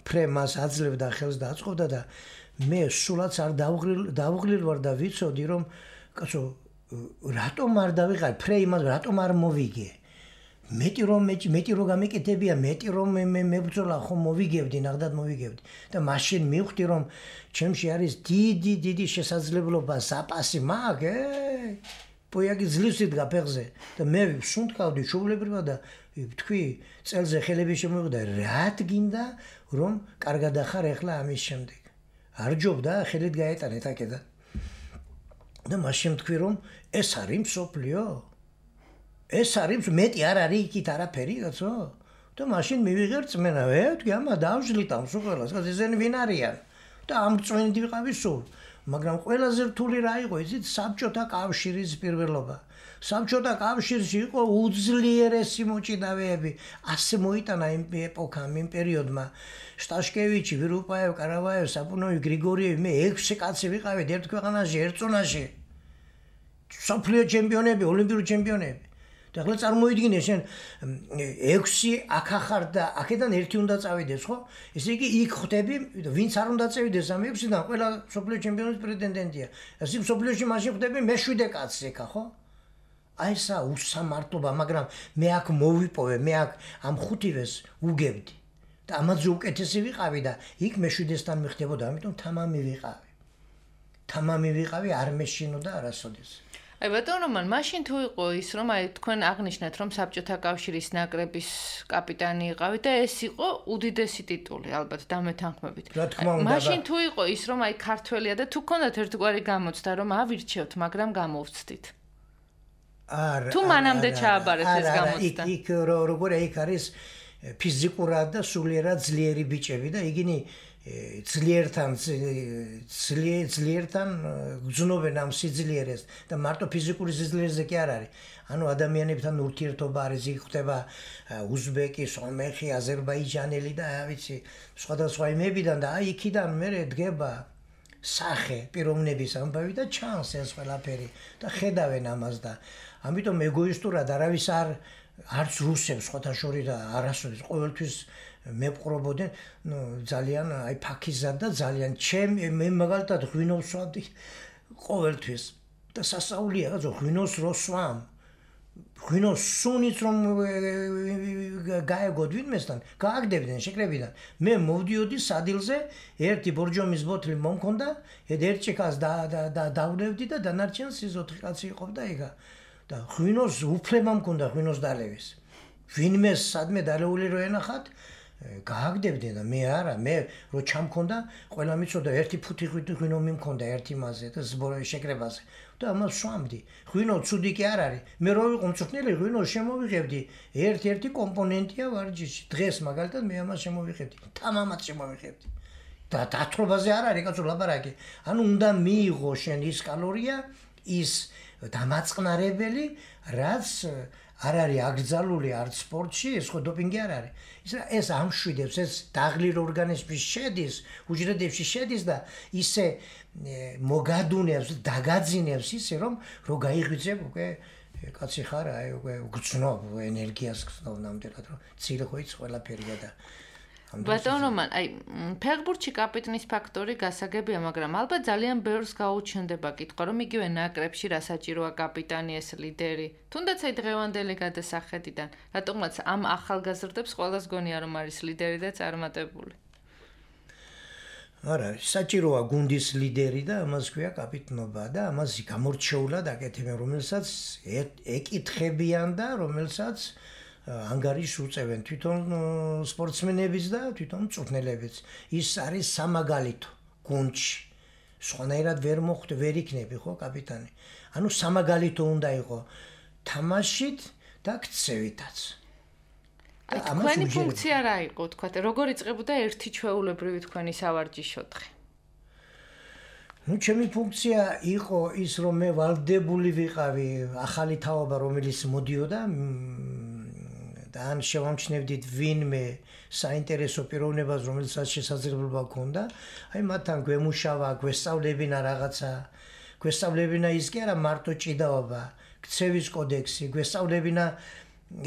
C: ფრე მას აძლევდა ხელს და აწყობდა და მე სულაც არ დავღლილ ვარ და ვიცოდი რომ კაცო რატომ არ დავიღალ ფრე იმას რატომ არ მოვიგე მეტი რომ მეტი რომ გამეკეთებია მეტი რომ მე მებრძოლა ხომ მოვიგებდი ნახდად მოვიგებდი და მაშინ მივხვდი რომ ჩემში არის დიდი დიდი შესაძლებლობა საპასი მაგ პოიაკი ძლივს იდგა ფეხზე და მე ვსუნთქავდი ჩულებრივად და თქვი წელზე ხელები შემოვიდა რა გინდა რომ კარგად ახარ ახლა ამის შემდეგ არ ჯობდა ხელით გაეტანეთ აკედა და მაშინ თქვი რომ ეს არის მსოფლიო ეს არის მეტი არ არის იქით არაფერი კაცო და მაშინ მივიღე რწმენა ვე თქვი ამა დავშლით ამ სულ ეს ესენი ვინ არიან და ამ წვენდი ვიყავი სულ მაგრამ ყველაზე რთული რა იყო იცით საბჭოთა კავშირის პირველობა საბჭოთა კავშირში იყო უძლიერესი მოჭიდავეები ასე მოიტანა იმ ეპოქამ იმ პერიოდმა შტაშკევიჩი ვირუპაევ კარავაევ საპუნოვი გრიგორიევი მე ექვსი კაცი ვიყავით ერთ ქვეყანაში ერთ ზონაში მსოფლიო ჩემპიონები ოლიმპიური ჩემპიონები და ახლა წარმოიდგინე შენ ექვსი აქ ახარ და აქედან ერთი უნდა წავიდეს ხო ესე იგი იქ ხვდები ვინც არ უნდა წავიდეს ამ ექვსიდან ყველა მსოფლიო ჩემპიონის პრეტენდენტია ესე მსოფლიოში მაშინ ხვდები მეშვიდე კაცი ეკა ხო აი ესა უსამართლობა მაგრამ მე აქ მოვიპოვე მე აქ ამ ხუთივეს უგებდი და ამაზე უკეთესი ვიყავი და იქ მეშვიდესთან მიხდებოდა ამიტომ თამამი ვიყავი თამამი ვიყავი არ მეშინოდა არასოდეს
B: აი ბატონო მან მაშინ თუ იყო ის რომ აი თქვენ აღნიშნეთ რომ საბჭოთა კავშირის ნაკრების კაპიტანი იყავით და ეს იყო უდიდესი ტიტული ალბათ დამეთანხმებით მაშინ თუ იყო ის რომ აი ქართველია და თუ გქონდათ ერთგვარი გამოცდა რომ ავირჩევთ მაგრამ გამოვცდით
C: არა
B: თუ მანამდე ჩააბარეთ ეს გამოცდა
C: იქ როგორ იქ არის ფიზიკურად და სულიერად ძლიერი ბიჭები და იგინი ძლიერთან ძლიერთან გძნობენ ამ სიძლიერეს და მარტო ფიზიკური სიძლიერეზე კი არ არის. ანუ ადამიანებთან ურთიერთობა არის, იქ ხდება უზბეკი, სომეხი, აზერბაიჯანელი და ვიცი, სხვადასხვა იმებიდან და აი იქიდან მე დგება სახე პიროვნების ამბავი და ჩანს ეს ყველაფერი და ხედავენ ამას და ამიტომ ეგოისტურად არავის არ არც რუსებს ხოთაშორი და არასოდეს ყოველთვის მეპყრობოდნენ, ნუ ძალიან აი ფაქიზად და ძალიან ჩემ მე მაგალითად ღვინოს ვსვამდი ყოველთვის და სასაულია რა ღვინოს როსვამ ღვინოს სუნიც რომ გაეგოდ ვინმესთან გააგდებდნენ შეკრებიდან მე მოვდიოდი სადილზე ერთი ბორჯომის ბოთლი მომქონდა ერთ ჭიქას და და დავნევდი და დანარჩენს ის ოთხი კაცი იყოფდა იგა და ღვინოს უფლება მქონდა ღვინოს დალევის ვინმე სადმე დალეული რო ენახათ გააგდებდნენ და მე არა მე რო ჩამქონდა ყველა მიცოდა ერთი ფუთი ღვინო მიმქონდა ერთი მასზე და ზბორი შეკრებაზე და ამას ვსვამდი ღვინო ცუდი კი არ არის მე რო ვიყო მწვრთნელი ღვინოს შემოვიღებდი ერთ-ერთი კომპონენტია ვარჯიში დღეს მაგალითად მე ამას შემოვიღებდი თამამად შემოვიღებდი და დათრობაზე არ არის კაცო ლაპარაკი ანუ უნდა მიიღო შენ ის კალორია ის დამაწყნარებელი რაც არ არის აკრძალული არც სპორტში ეს ხო დოპინგი არ არის ის ეს ამშვიდებს ეს დაღლილ ორგანიზმში შედის უჯრედებში შედის და ისე მოგადუნებს დაგაძინებს ისე რომ რო გაიღვიძებ უკვე კაცი ხარ აი უკვე გწნობ ენერგიას გწნობ ნამდვილად რომ ცილ ხო იც ყველაფერია და
B: ბატონო მან აი ფეხბურთში კაპიტნის ფაქტორი გასაგებია მაგრამ ალბათ ძალიან ბევრს გაუჩნდება კითხვა რომ იგივე ნაკრებში რა საჭიროა კაპიტანი ეს ლიდერი თუნდაც აი დღევანდელი გადასახედიდან რატომაც ამ ახალგაზრდებს ყველას გონია რომ არის ლიდერი და წარმატებული
C: არა საჭიროა გუნდის ლიდერი და ამას ქვია კაპიტნობა და ამას გამორჩეულად აკეთებენ რომელსაც ეკითხებიან და რომელსაც ანგარიშს უწევენ თვითონ სპორტსმენებიც და თვითონ მწვრთნელებიც ის არის სამაგალითო გუნდში სხვანაირად ვერ მოხვდე ვერ იქნები ხო კაპიტანი ანუ სამაგალითო უნდა იყო თამაშით და ქცევითაც
B: აი თქვენი ფუნქცია რა იყო თქვა როგორ იწყებოდა ერთი ჩვეულებრივი თქვენი სავარჯიშო დღე
C: ну ჩემი ფუნქცია იყო ის რომ მე ვალდებული ვიყავი ახალი თაობა რომელიც მოდიოდა და ან შევამჩნევდით ვინმე საინტერესო პიროვნებას რომელსაც შესაძლებლობა ჰქონდა აი მათთან გვემუშავა გვესწავლებინა რაღაცა გვესწავლებინა ის კი არა მარტო ჭიდაობა ქცევის კოდექსი გვესწავლებინა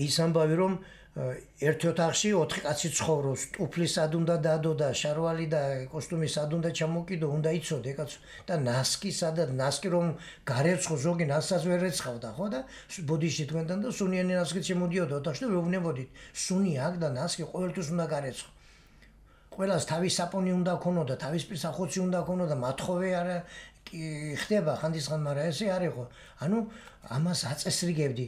C: ის ამბავი რომ ერთ ოთახში ოთხი კაცი ცხოვრობს ტუფლი სად უნდა დადო და შარვალი და კოსტუმი სად უნდა ჩამოკიდო უნდა იცოდე კაცო და ნასკი სადაც ნასკი რომ გარეცხო ზოგი ნასკს ვერ ეცხავდა ხო და ბოდიში თქვენთან და სუნიანი ნასკი შემოდიოდა ოთახში და ვეუბნებოდით სუნი აქ და ნასკი ყოველთვის უნდა გარეცხო ყველას თავის საპონი უნდა ქონოდა თავის პირსახოცი უნდა ქონოდა მათხოვე არა ხდება ხანდისხან მაგრამ ესე არ იყო ანუ ამას აწესრიგებდი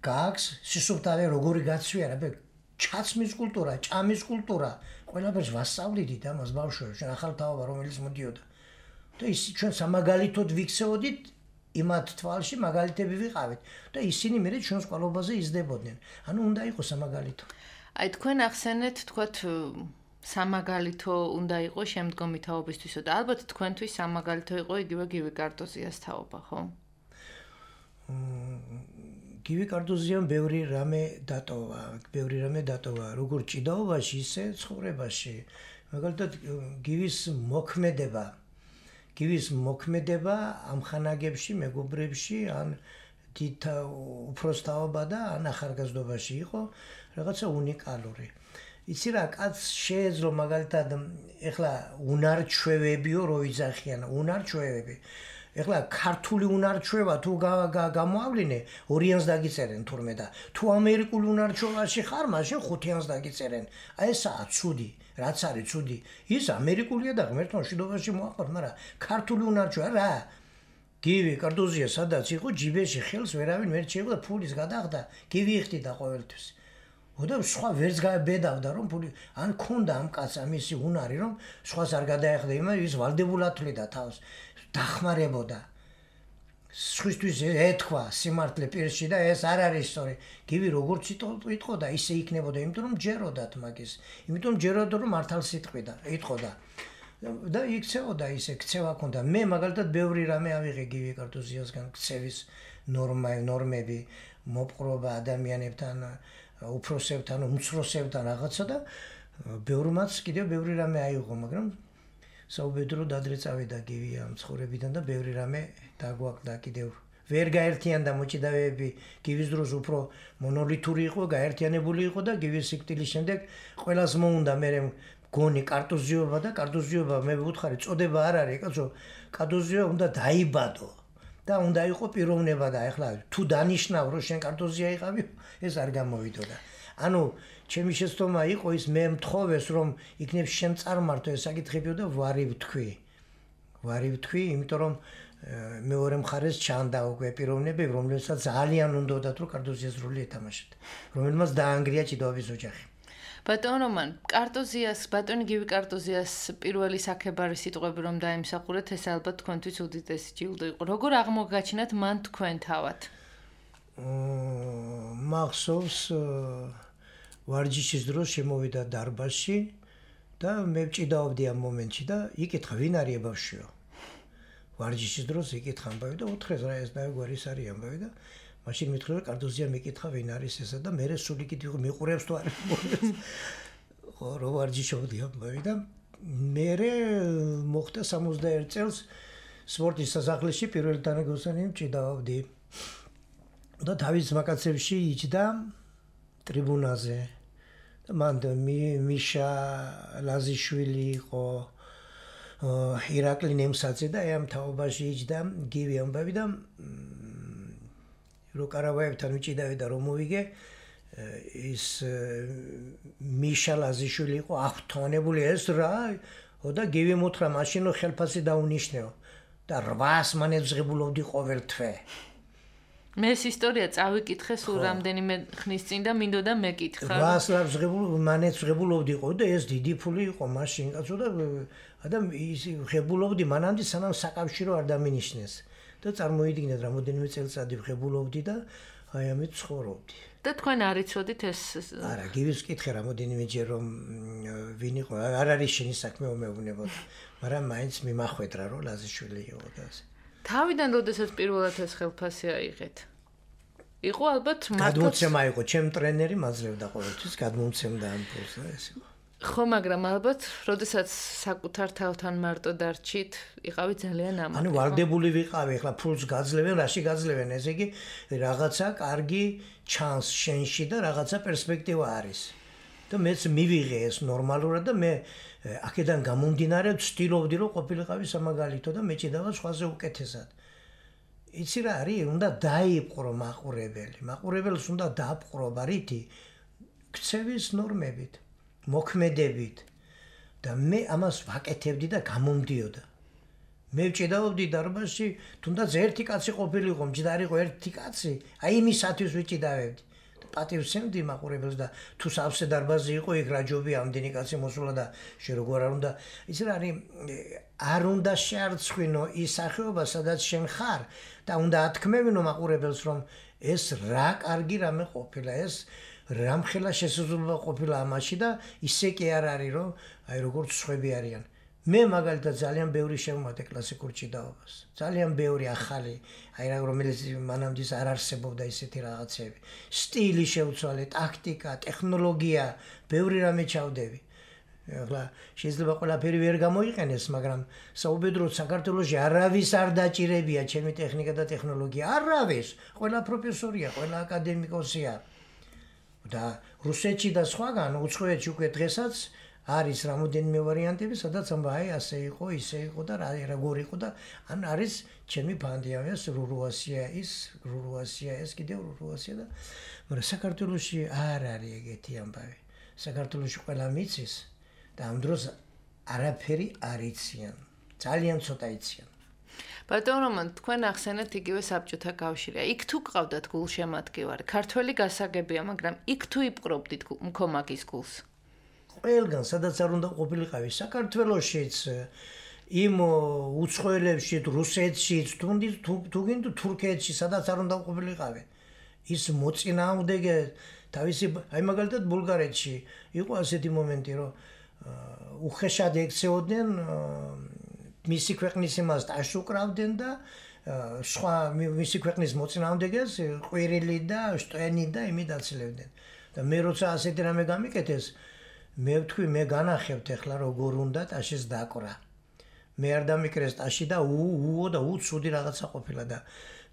C: გაქვს სისუფთავე როგორი გაცვია რა ჩაცმის კულტურა, ჭამის კულტურა, ყველაფერს ვასწავლიდით ამას ბავშვებს, ჩვენ ახალ თაობა რომელიც მოდიოდა. და ის ჩვენ სამაგალითოდ ვიქცეოდით იმათ თვალში მაგალითები ვიყავით და ისინი მე ჩვენს ყოლობაზე იზრდებოდნენ. ანუ უნდა იყოს სამაგალითო.
B: აი თქვენ ახსენეთ თქვათ სამაგალითო უნდა იყოს შემდგომი თაობისთვისო და ალბათ თქვენთვის სამაგალითო იყო იგივე გივი კარტოზიას თაობა, ხო?
C: გივი კარტოზიამ ბევრი რამე დატოვა, ბევრი რამე დატოვა, როგორც ჭიდაობაში, ისე ცხოვრებაში. მაგალითად, გივის მოქმედება, გივის მოქმედება ამ ხანაგებში, მეგობრებში, ან დიდ უფროსთაობა და ან ახალგაზრდობაში იყო რაღაცა უნიკალური. იცი რა, კაცს შეეძლო მაგალითად, ეხლა უნარჩვევებიო რო იძახიან, უნარჩვევები. ეხლა ქართული უნარჩვევა თუ გამოავლინე ორიანს დაგიწერენ თურმე და თუ ამერიკული უნარჩვევაში ხარ მაშინ ხუთიანს დაგიწერენ აი ესაა ცუდი რაც არის ცუდი ის ამერიკულია და ღმერთმა მშვიდობაში მოაყოთ მაგრამ ქართული უნარჩვევა რა გივი კარტოზია სადაც იყო ჯიბეში ხელს ვერავინ ვერ შეიღო და ფულის გადახდა გივი იხდიდა ყოველთვის და სხვა ვერც გაებედავდა რომ ფული ან ქონდა ამ კაცს ამისი უნარი რომ სხვას არ გადაეხდა იმას ის ვალდებულად თვლიდა თავს დახმარებოდა სხვისთვის ეთქვა სიმართლე პირში და ეს არ არის სწორი გივი როგორც იტყოდა ისე იქნებოდა იმიტომ რომ ჯეროდათ მაგის იმიტომ ჯეროდა რომ მართალს იტყვიდა იტყოდა და იქცეოდა ისე ქცევა ქონდა მე მაგალითად ბევრი რამე ავიღე გივი კარტოზიასგან ქცევის ნორმა ნორმები მოპყრობა ადამიანებთან უფროსებთან უმცროსებთან რაღაცა და ბევრმაც კიდევ ბევრი რამე აიღო მაგრამ საუბედრო დადრე წავიდა გივი ამ ცხოვრებიდან და ბევრი რამე დაგვაკლდა კიდევ ვერ გაერთიანდა მოჭიდავეები, გივის დროს უფრო მონოლითური იყო, გაერთიანებული იყო და გივის სიკვდილის შემდეგ ყველას მოუნდა მე გონი კარტოზიობა და კარტოზიობა მე ვუთხარი წოდება არ არის, კაცო, კარტოზიობა უნდა დაიბადო და უნდა იყო პიროვნება და ეხლა თუ დანიშნავ რომ შენ კარტოზია იყავი, ეს არ გამოვიდოდა. ანუ ჩემი შეცდომა იყო ის მე მთხოვეს რომ იქნებ შენ წარმართო ეს საკითხებიო და ვარი ვთქვი. ვარი ვთქვი, იმიტომ რომ მეორე მხარეს ჩანდა უკვე პიროვნებები, რომლებსაც ძალიან უნდათ რომ კარტოზიას როლი ეთამაშეთ, რომელმაც დაანგრია ჭიდაობის ოჯახი.
B: ბატონ რომან, კარტოზიას, ბატონი გივი კარტოზიას პირველი საქებარი სიტყვები რომ დაიმსახურეთ, ეს ალბათ თქვენთვის უდიდესი ჯილდო იყო. როგორ აღმოგაჩინათ მან თქვენ თავად?
C: მახსოვს ვარჯიშის დროს შემოვიდა დარბაზში და მე ვჭიდაობდი ამ მომენტში და იკითხა ვინ არის ბავშვიო. ვარჯიშის დროს იკითხა ამბავი და უთხრეს რა ეს დაგვარი ის არის ამბავი და მაშინ მითხრა რომ კარტოზია მეკითხა ვინ არის ესა და მე სული კითხვა მიყურებს თუ არა. ხო რო ვარჯიშობდი ამბავი და მე მოხდა სამოცდაერთ წელს სპორტის სასახლეში პირველი თანაგოსანი მჭიდაობდი. და თავის მაკაცებში იჯდა ტრიბუნაზე. მან მიშა ლაზიშვილი იყო, ირაკლი ნემსაძე და ამ თაობაში იჯდა გივი ამბავი და რო კარავაევთან ვიჭიდავი და რომ მოვიგე ის მიშა ლაზიშვილი იყო აღთვალებული ეს რა და გივი მოთხრა მაშინო ხელფასი დაუნიშნეო და რვას მანეძღებულობდი ყოველ თვე.
B: მე ეს ისტორია წავიკითხე სულ რამდენიმე ხნის წინ და მინდოდა მეკითხა.
C: რვას ლაბზღებულ მანეძღებულობდი ყო და ეს დიდი ფული იყო მაშინ კაცო და ადამ ის ღებულობდი მანამდე სანამ საკავშირო არ დამინიშნეს და წარმოიდგინეთ რამოდენიმე წელიწადი ღებულობდი და აი ამით ცხოვრობდი.
B: და თქვენ არ იცოდით ეს?
C: არა, გივის კითხე რამოდენიმეჯერ რომ ვინ იყო, არ არის შენი საქმე უმეუბნებოდ, მაგრამ მაინც მიმახვედრა რომ ლაზიშვილი იყო და ასე.
B: თავიდან როდესაც პირველად ეს ხელფასი აიღეთ? იყო ალბათ მართლაც
C: გადმოცემა იყო, ჩემ ტრენერი მაძლევდა ყოველთვის, გადმომცემდა ამ ფულს და ეს იყო.
B: ხო, მაგრამ ალბათ როდესაც საკუთარ თავთან მარტო დარჩით, იყავი ძალიან ამაყი.
C: ანუ ვალდებული ვიყავი, ახლა ფულს გაძლევენ, რაში გაძლევენ, ესე იგი რაღაცა კარგი ჩანს შენში და რაღაცა პერსპექტივა არის. და მეც მივიღე ეს ნორმალურად და მე აქედან გამომდინარე ვცდილობდი რომ ყოფილიყავი სამაგალითო და მეჭიდავა სხვაზე უკეთესად. იცი რა არის, უნდა დაიპყრო მაყურებელი. მაყურებელს უნდა დააპყრო ბარითი ქცევის ნორმებით, მოქმედებით და მე ამას ვაკეთებდი და გამომდიოდა. მე ვჭიდაობდი დარბაზში, თუნდაც ერთი კაცი ყოფილიყო, მჭიდარიყო ერთი კაცი, აი იმისათვის ვჭიდავებდი. პატივსცემდი მაყურებელს და თუ სავსე დარბაზი იყო, იქ რა ჯობი ამდენი კაცი მოსულა და შე როგორ არ უნდა, იცი რა არის, არ უნდა შეარცხვინო ის სახეობა, სადაც შენ ხარ და უნდა ათქმევინო მაყურებელს, რომ ეს რა კარგი რამე ყოფილა, ეს რამხელა შესაძლებლობა ყოფილა ამაში და ისე კი არ არის, რომ აი როგორც სხვები არიან. მე მაგალითად ძალიან ბევრი შევმატე კლასიკურ ჭიდაობას. ძალიან ბევრი ახალი, აი რა რომელიც მანამდე არ არსებობდა ისეთი რაღაცები. სტილი შევცვალე, ტაქტიკა, ტექნოლოგია, ბევრი რამე ჩავდები. ახლა შეიძლება ყველაფერი ვერ გამოიყენეს, მაგრამ საუბედროდ საქართველოში არავის არ დაჭირებია ჩემი ტექნიკა და ტექნოლოგია. არავის, ყველა პროფესორია, ყველა აკადემიკოსია. და რუსეთში და სხვაგან უცხოეთში უკვე დღესაც არის რამოდენიმე ვარიანტები, სადაც ამბა აი ასე იყო, ისე იყო და რა როგორ იყო და ან არის ჩემი ფანდია ეს რურუასია ის, რურუასია ეს კიდევ რურუასია და მაგრამ საქართველოში არ არის ეგეთი ამბავი. საქართველოში ყველა მიცის და ამ დროს არაფერი არ იციან. ძალიან ცოტა იციან.
B: ბატონ რომან, თქვენ ახსენეთ იგივე საბჭოთა კავშირია. იქ თუ გყავდათ გულშემატკივარი, ქართველი გასაგებია, მაგრამ იქ თუ იპყრობდით მქომაგის გულს?
C: ყველგან, სადაც არ უნდა ყოფილიყავი, საქართველოშიც, იმ უცხოელებში, რუსეთშიც, თუ გინდ თურქეთში, სადაც არ უნდა ყოფილიყავი. ის მოწინააღმდეგე თავისი, აი მაგალითად ბულგარეთში იყო ასეთი მომენტი, რომ უხეშად ექცეოდნენ მისი ქვეყნის იმას აშუკრავდნენ და სხვა მისი ქვეყნის მოწინააღმდეგეს ყვირილი და შტენი და იმით აცილებდნენ. და მე როცა ასეთი რამე გამიკეთეს, მე ვთქვი, მე განახებთ ახლა როგორ უნდა ტაშის დაკვრა. მე არ დამიკრეს ტაში და უო და უცუდი რაღაცა ყოფილა და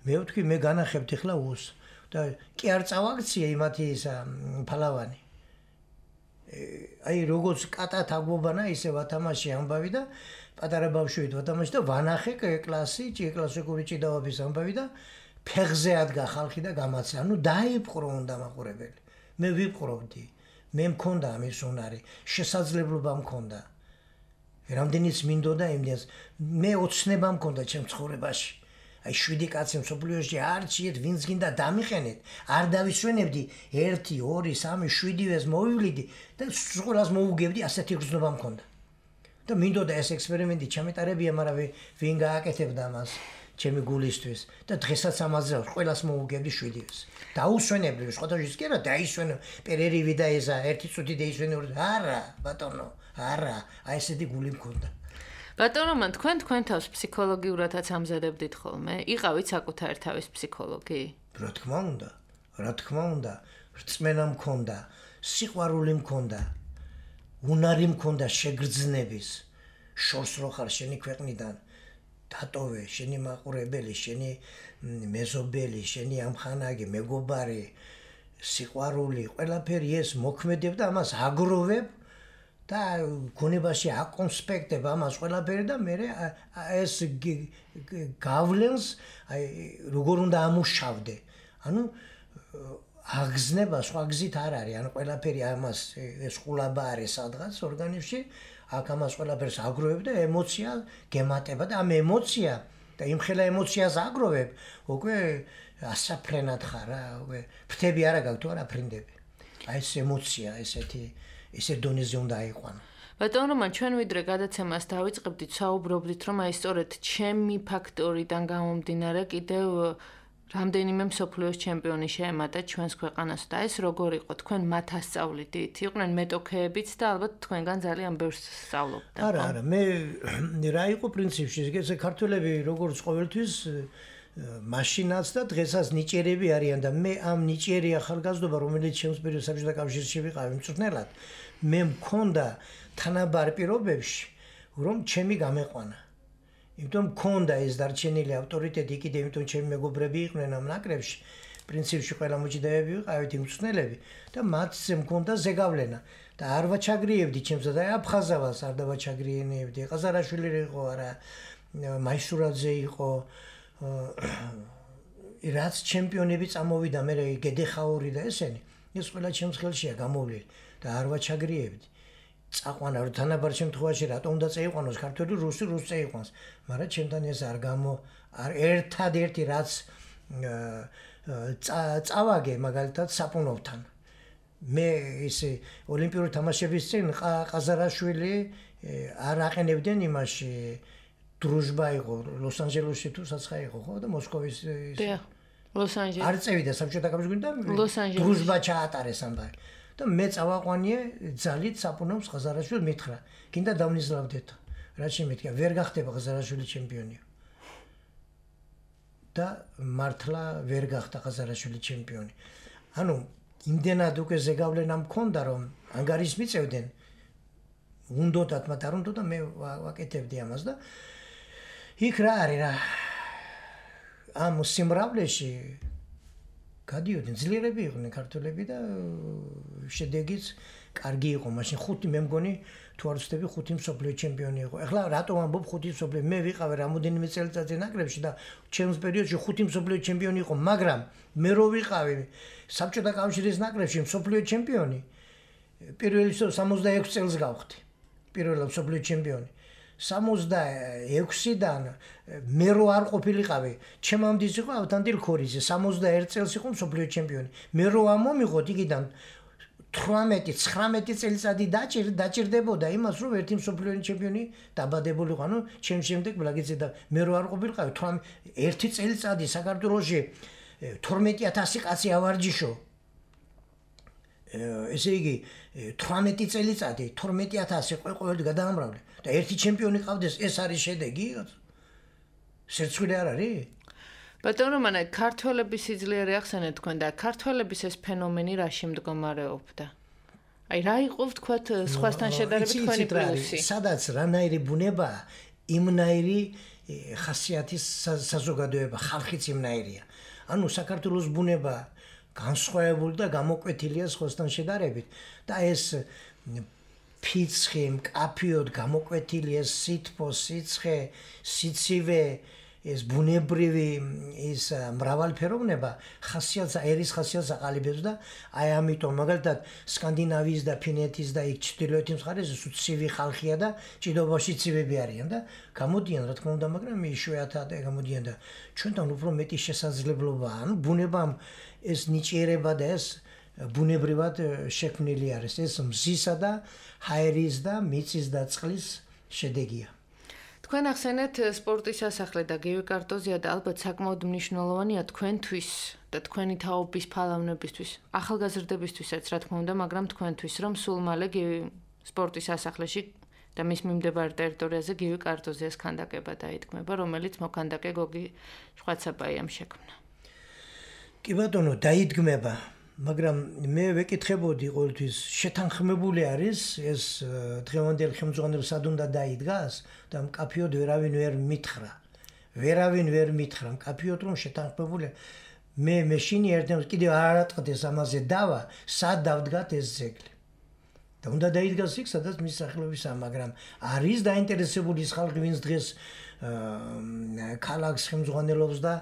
C: მე ვთქვი მე განახებთ ახლა უს და კი არ წავაქცია იმათი ისა ფალავანი. აი როგორც კატათ აგბობანა ისე ვათამაში ამბავი და პატარა ბავშვით ვათამაში და ვანახე კლასი, კლასიკური ჭიდაობის ამბავი და ფეხზე ადგა ხალხი და გამაცა. ანუ დაიპყრო უნდა მაყურებელი. მე ვიპყრობდი. მე მქონდა ამის უნარი, შესაძლებლობა მქონდა. რამდენიც მინდოდა იმდენს მე ოცნება მქონდა ჩემ ცხოვრებაში. აი შვიდი კაცი მსოფლიოში არ ჭიეთ ვინც გინდა დამიყენეთ. არ დავისვენებდი ერთი, ორი, სამი, შვიდივეს მოვივლიდი და სულას მოუგებდი ასეთი გრძნობა მქონდა. და მინდოდა ეს ექსპერიმენტი ჩამეტარებია, მაგრამ ვინ გააკეთებდა მას ჩემი გულისთვის და დღესაც ამაზე ყველას მოუგებდი შვიდივეს. დაუსვენებდი, სხვადასხვა კი არა, დაისვენო პერერივი და ეზა ერთი წუთი დაისვენო. არა, ბატონო, არა, აი ესეთი გული მქონდა.
B: ბატონო, მან თქვენ თქვენ თავს ფსიქოლოგიურადაც ამზადებდით ხოლმე? იყავით საკუთარი თავის ფსიქოლოგი?
C: რა თქმა უნდა, რა თქმა უნდა, რწმენა მქონდა, სიყვარული მქონდა, უნარი მქონდა შეგრძნების, შორს რო ხარ შენი ქვეყნიდან, დატოვე, შენი მაყურებელი, შენი მეზობელი, შენი ამხანაგი, მეგობარი, სიყვარული, ყველაფერი ეს მოქმედებ და ამას აგროვებ და გონებაში აკონსპექტებ ამას ყველაფერი და მე ეს გავლენს აი როგორ უნდა ამუშავდე. ანუ აგზნება სხვა გზით არ არის. ანუ ყველაფერი ამას ეს ყულაბა არის სადღაც ორგანიზმში, აქ ამას ყველაფერს აგროვებ და ემოცია გემატება და ამ ემოცია და იმ ხელა ემოციას აგროვებ, უკვე ასაფრენად ხარ რა, უკვე ფრთები არა გაქვს თუ არა ფრინდები. აი ეს ემოცია ესეთი ესე დონეზე უნდა აიყვანო.
B: ბატონო, მან ჩვენ ვიდრე გადაცემას დავიწყებდით, საუბრობდით, რომ აი სწორედ ჩემი ფაქტორიდან გამომდინარე კიდევ რამდენიმე მსოფლიოს ჩემპიონი შეემატა ჩვენს ქვეყანას და ეს როგორ იყო? თქვენ მათ ასწავლიდით? იყვნენ მეტოქეებიც და ალბათ თქვენგან ძალიან ბევრს სწავლობდა.
C: არა, არა, მე რა იყო პრინციპში, ეს ქართველები როგორც ყოველთვის მაშინაც და დღესაც ნიჭიერები არიან და მე ამ ნიჭიერი ახალგაზრდობა, რომელიც ჩემს პერიოდში საბჭოთა კავშირში ვიყავი მწვრთნელად, მე მქონდა თანაბარ პირობებში, რომ ჩემი გამეყვანა. იმიტომ მქონდა ეს დარჩენილი ავტორიტეტი კიდე, იმიტომ ჩემი მეგობრები იყვნენ ამ ნაკრებში, პრინციპში ყველა მოჭიდაები ვიყავით მწვრთნელები და მათზე მქონდა ზეგავლენა და არ ვაჩაგრიებდი ჩემს და აფხაზავას არ დავაჩაგრიენებდი. ყაზარაშვილი იყო არა, მაისურაძე იყო, რაც ჩემპიონები წამოვიდა, მე გედეხაური და ესენი, ეს ყველა ჩემს ხელშია გამოვლილი და არ ვაჩაგრიებდი. წაყვანა რომ თანაბარ შემთხვევაში რატომ უნდა წაიყვანოს ქართველი, რუსი, რუსი წაიყვანს, მაგრამ ჩემთან ეს არ გამო არ ერთადერთი რაც წავაგე მაგალითად საპუნოვთან. მე ისე ოლიმპიური თამაშების წინ ყაზარაშვილი არ აყენებდნენ იმაში დრუჟბა იყო ლოს-ანჯელესში თუ საცხა იყო ხო და მოსკოვის
B: ლოს-ანჯელესი
C: არ წევიდა საბჭოთა კავშირში და დრუჟბა ჩაატარეს ამბავი. და მე წავაყვანიე ძალით საპუნოვს ყაზარაშვილი მითხრა, გინდა დავნიზლავდეთ. რა შემეთქა, ვერ გახდება ყაზარაშვილი ჩემპიონი. და მართლა ვერ გახდა ყაზარაშვილი ჩემპიონი. ანუ იმდენად უკვე ზეგავლენა მქონდა, რომ ანგარის მიწევდნენ. უნდოდათ, მაგრამ არ უნდოდა მე ვაკეთებდი ამას და იქ რა არის რა. ამ სიმრავლეში გადიოდნენ ძლიერები იყვნენ ქართველები და შედეგიც კარგი იყო. მაშინ ხუთი მე მგონი თუ არ ვცდები ხუთი მსოფლიო ჩემპიონი იყო. ეხლა რატომ ამბობ ხუთი მსოფლიო? მე ვიყავი რამოდენიმე წელიწადზე ნაკრებში და ჩემს პერიოდში ხუთი მსოფლიო ჩემპიონი იყო, მაგრამ მე რო ვიყავი საბჭოთა კავშირის ნაკრებში მსოფლიო ჩემპიონი, პირველი სამოცდაექვსი წელს გავხდი. პირველი მსოფლიო ჩემპიონი. სამოცდაექვსიდან მე რო არ ყოფილიყავი, ჩემამდე იყო ავთანდილ ქორიძე, სამოცდაერთი წელს იყო მსოფლიო ჩემპიონი. მე რო ამომიღოთ იქიდან თვრამეტი ცხრამეტი წელიწადი დაჭირდებოდა იმას, რომ ერთი მსოფლიო ჩემპიონი დაბადებულიყო. ანუ ჩემ შემდეგ ბლაგიძე და მე რო არ ყოფილიყავი, ერთი წელიწადი საქართველოში თორმეტი ათასი კაცი ავარჯიშო. ესე იგი თვრამეტი წელიწადი თორმეტი ათასი ყოველდღე გადაამრავლე და ერთი ჩემპიონი ყავდეს, ეს არის შედეგი? სერცხვილი არ არის?
B: ბატონო, მან ქართველების სიძლიერე ახსენეთ თქვენ და ქართველების ეს ფენომენი რაში მდგომარეობდა? აი რა იყო ვთქვათ სხვასთან შედარებით თქვენი პლუსი?
C: სადაც რანაირი ბუნება იმნაირი ხასიათის საზოგადოება, ხალხიც იმნაირია. ანუ საქართველოს ბუნება განსხვავებული და გამოკვეთილია სხვასთან შედარებით და ეს ფიცხი, მკაფიოდ გამოკვეთილი ეს სითბო, სიცხე, სიცივე, ეს ბუნებრივი ის მრავალფეროვნება ხასიათს, ერის ხასიათს აყალიბებს და აი ამიტომ მაგალითად სკანდინავიის და ფინეთის და იქ ჩრდილოეთის მხარეს ცივი ხალხია და ჭიდაობაში ცივები არიან და გამოდიან რა თქმა უნდა, მაგრამ იშვიათად გამოდიან და ჩვენთან უფრო მეტი შესაძლებლობაა. ანუ ბუნებამ ეს ნიჭიერება და ეს ბუნებრივად შექმნილი არის. ეს მზისა და ჰაერის და მიწის და წყლის შედეგია.
B: თქვენ ახსენეთ სპორტის სასახლე და გივი კარტოზია და ალბათ საკმაოდ მნიშვნელოვანია თქვენთვის და თქვენი თაობის ფალავნებისთვის, ახალგაზრდებისთვისაც რა თქმა უნდა, მაგრამ თქვენთვის რომ სულ მალე გივი სპორტის სასახლეში და მის მიმდებარე ტერიტორიაზე გივი კარტოზიას ქანდაკება დაიდგმება, რომელიც მოქანდაკე გოგი შვაცაბაიამ შექმნა.
C: კი ბატონო, დაიდგმება, მაგრამ მე ვეკითხებოდი ყოველთვის შეთანხმებული არის ეს დღევანდელ ხელმძღვანელს სად უნდა დაიდგას და მკაფიოდ ვერავინ ვერ მითხრა. ვერავინ ვერ მითხრა, მკაფიოდ რომ შეთანხმებული. მე მეშინი ერთემს კიდევ არ ატყდეს ამაზე დავა, სად დავდგათ ეს ძეგლი. და უნდა დაიდგას იქ, სადაც მის სახელობისა, მაგრამ არის დაინტერესებული ის ხალხი, ვინც დღეს ქალაქს ხელმძღვანელობს და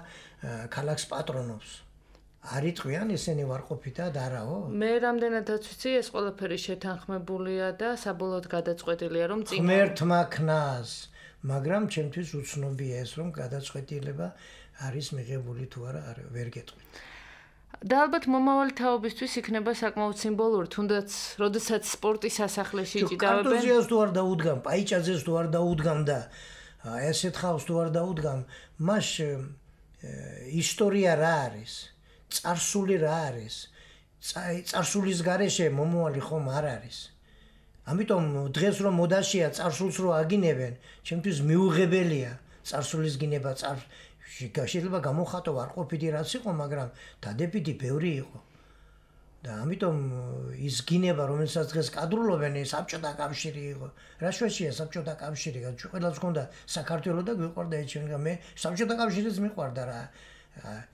C: ქალაქს პატრონობს. არიწყვიან ესენი ვარყოფითად არაო?
B: მე რამდენადაც ვიცი, ეს ყველაფერი შეთანხმებულია და საბოლოოდ გადაწყვეტილია, რომ წინ
C: ღმერთმა ქნას, მაგრამ ჩემთვის უცნობია ეს, რომ გადაწყვეტილება არის მიღებული თუ არა, ვერ გეტყვით.
B: და ალბათ მომავალი თაობისთვის იქნება საკმაოდ სიმბოლური, თუნდაც როდესაც სპორტის სასახლეში ჭიდავენ.
C: კარტოზიას თუ არ დაუდგამ, პაიჭაძეს თუ არ დაუდგამ და ესეთ ხალხს თუ არ დაუდგამ, მას ისტორია რა არის? წარსული რა არის? წარსულის გარეშე მომავალი ხომ არ არის. ამიტომ დღეს რომ მოდაშია წარსულს რო აგინებენ, ჩემთვის მიუღებელია წარსულის გინება. შეიძლება გამოხატო ვარყოფითი რაც იყო, მაგრამ დადებითი ბევრი იყო. და ამიტომ ის გინება, რომელსაც დღეს კადრულობენ, საბჭოთა კავშირი იყო. რა შეშია საბჭოთა კავშირი? ჩვენ ყველას გქონდა საქართველო და გვიყვარდა ეს ჩვენ. მე საბჭოთა კავშირიც მიყვარდა რა.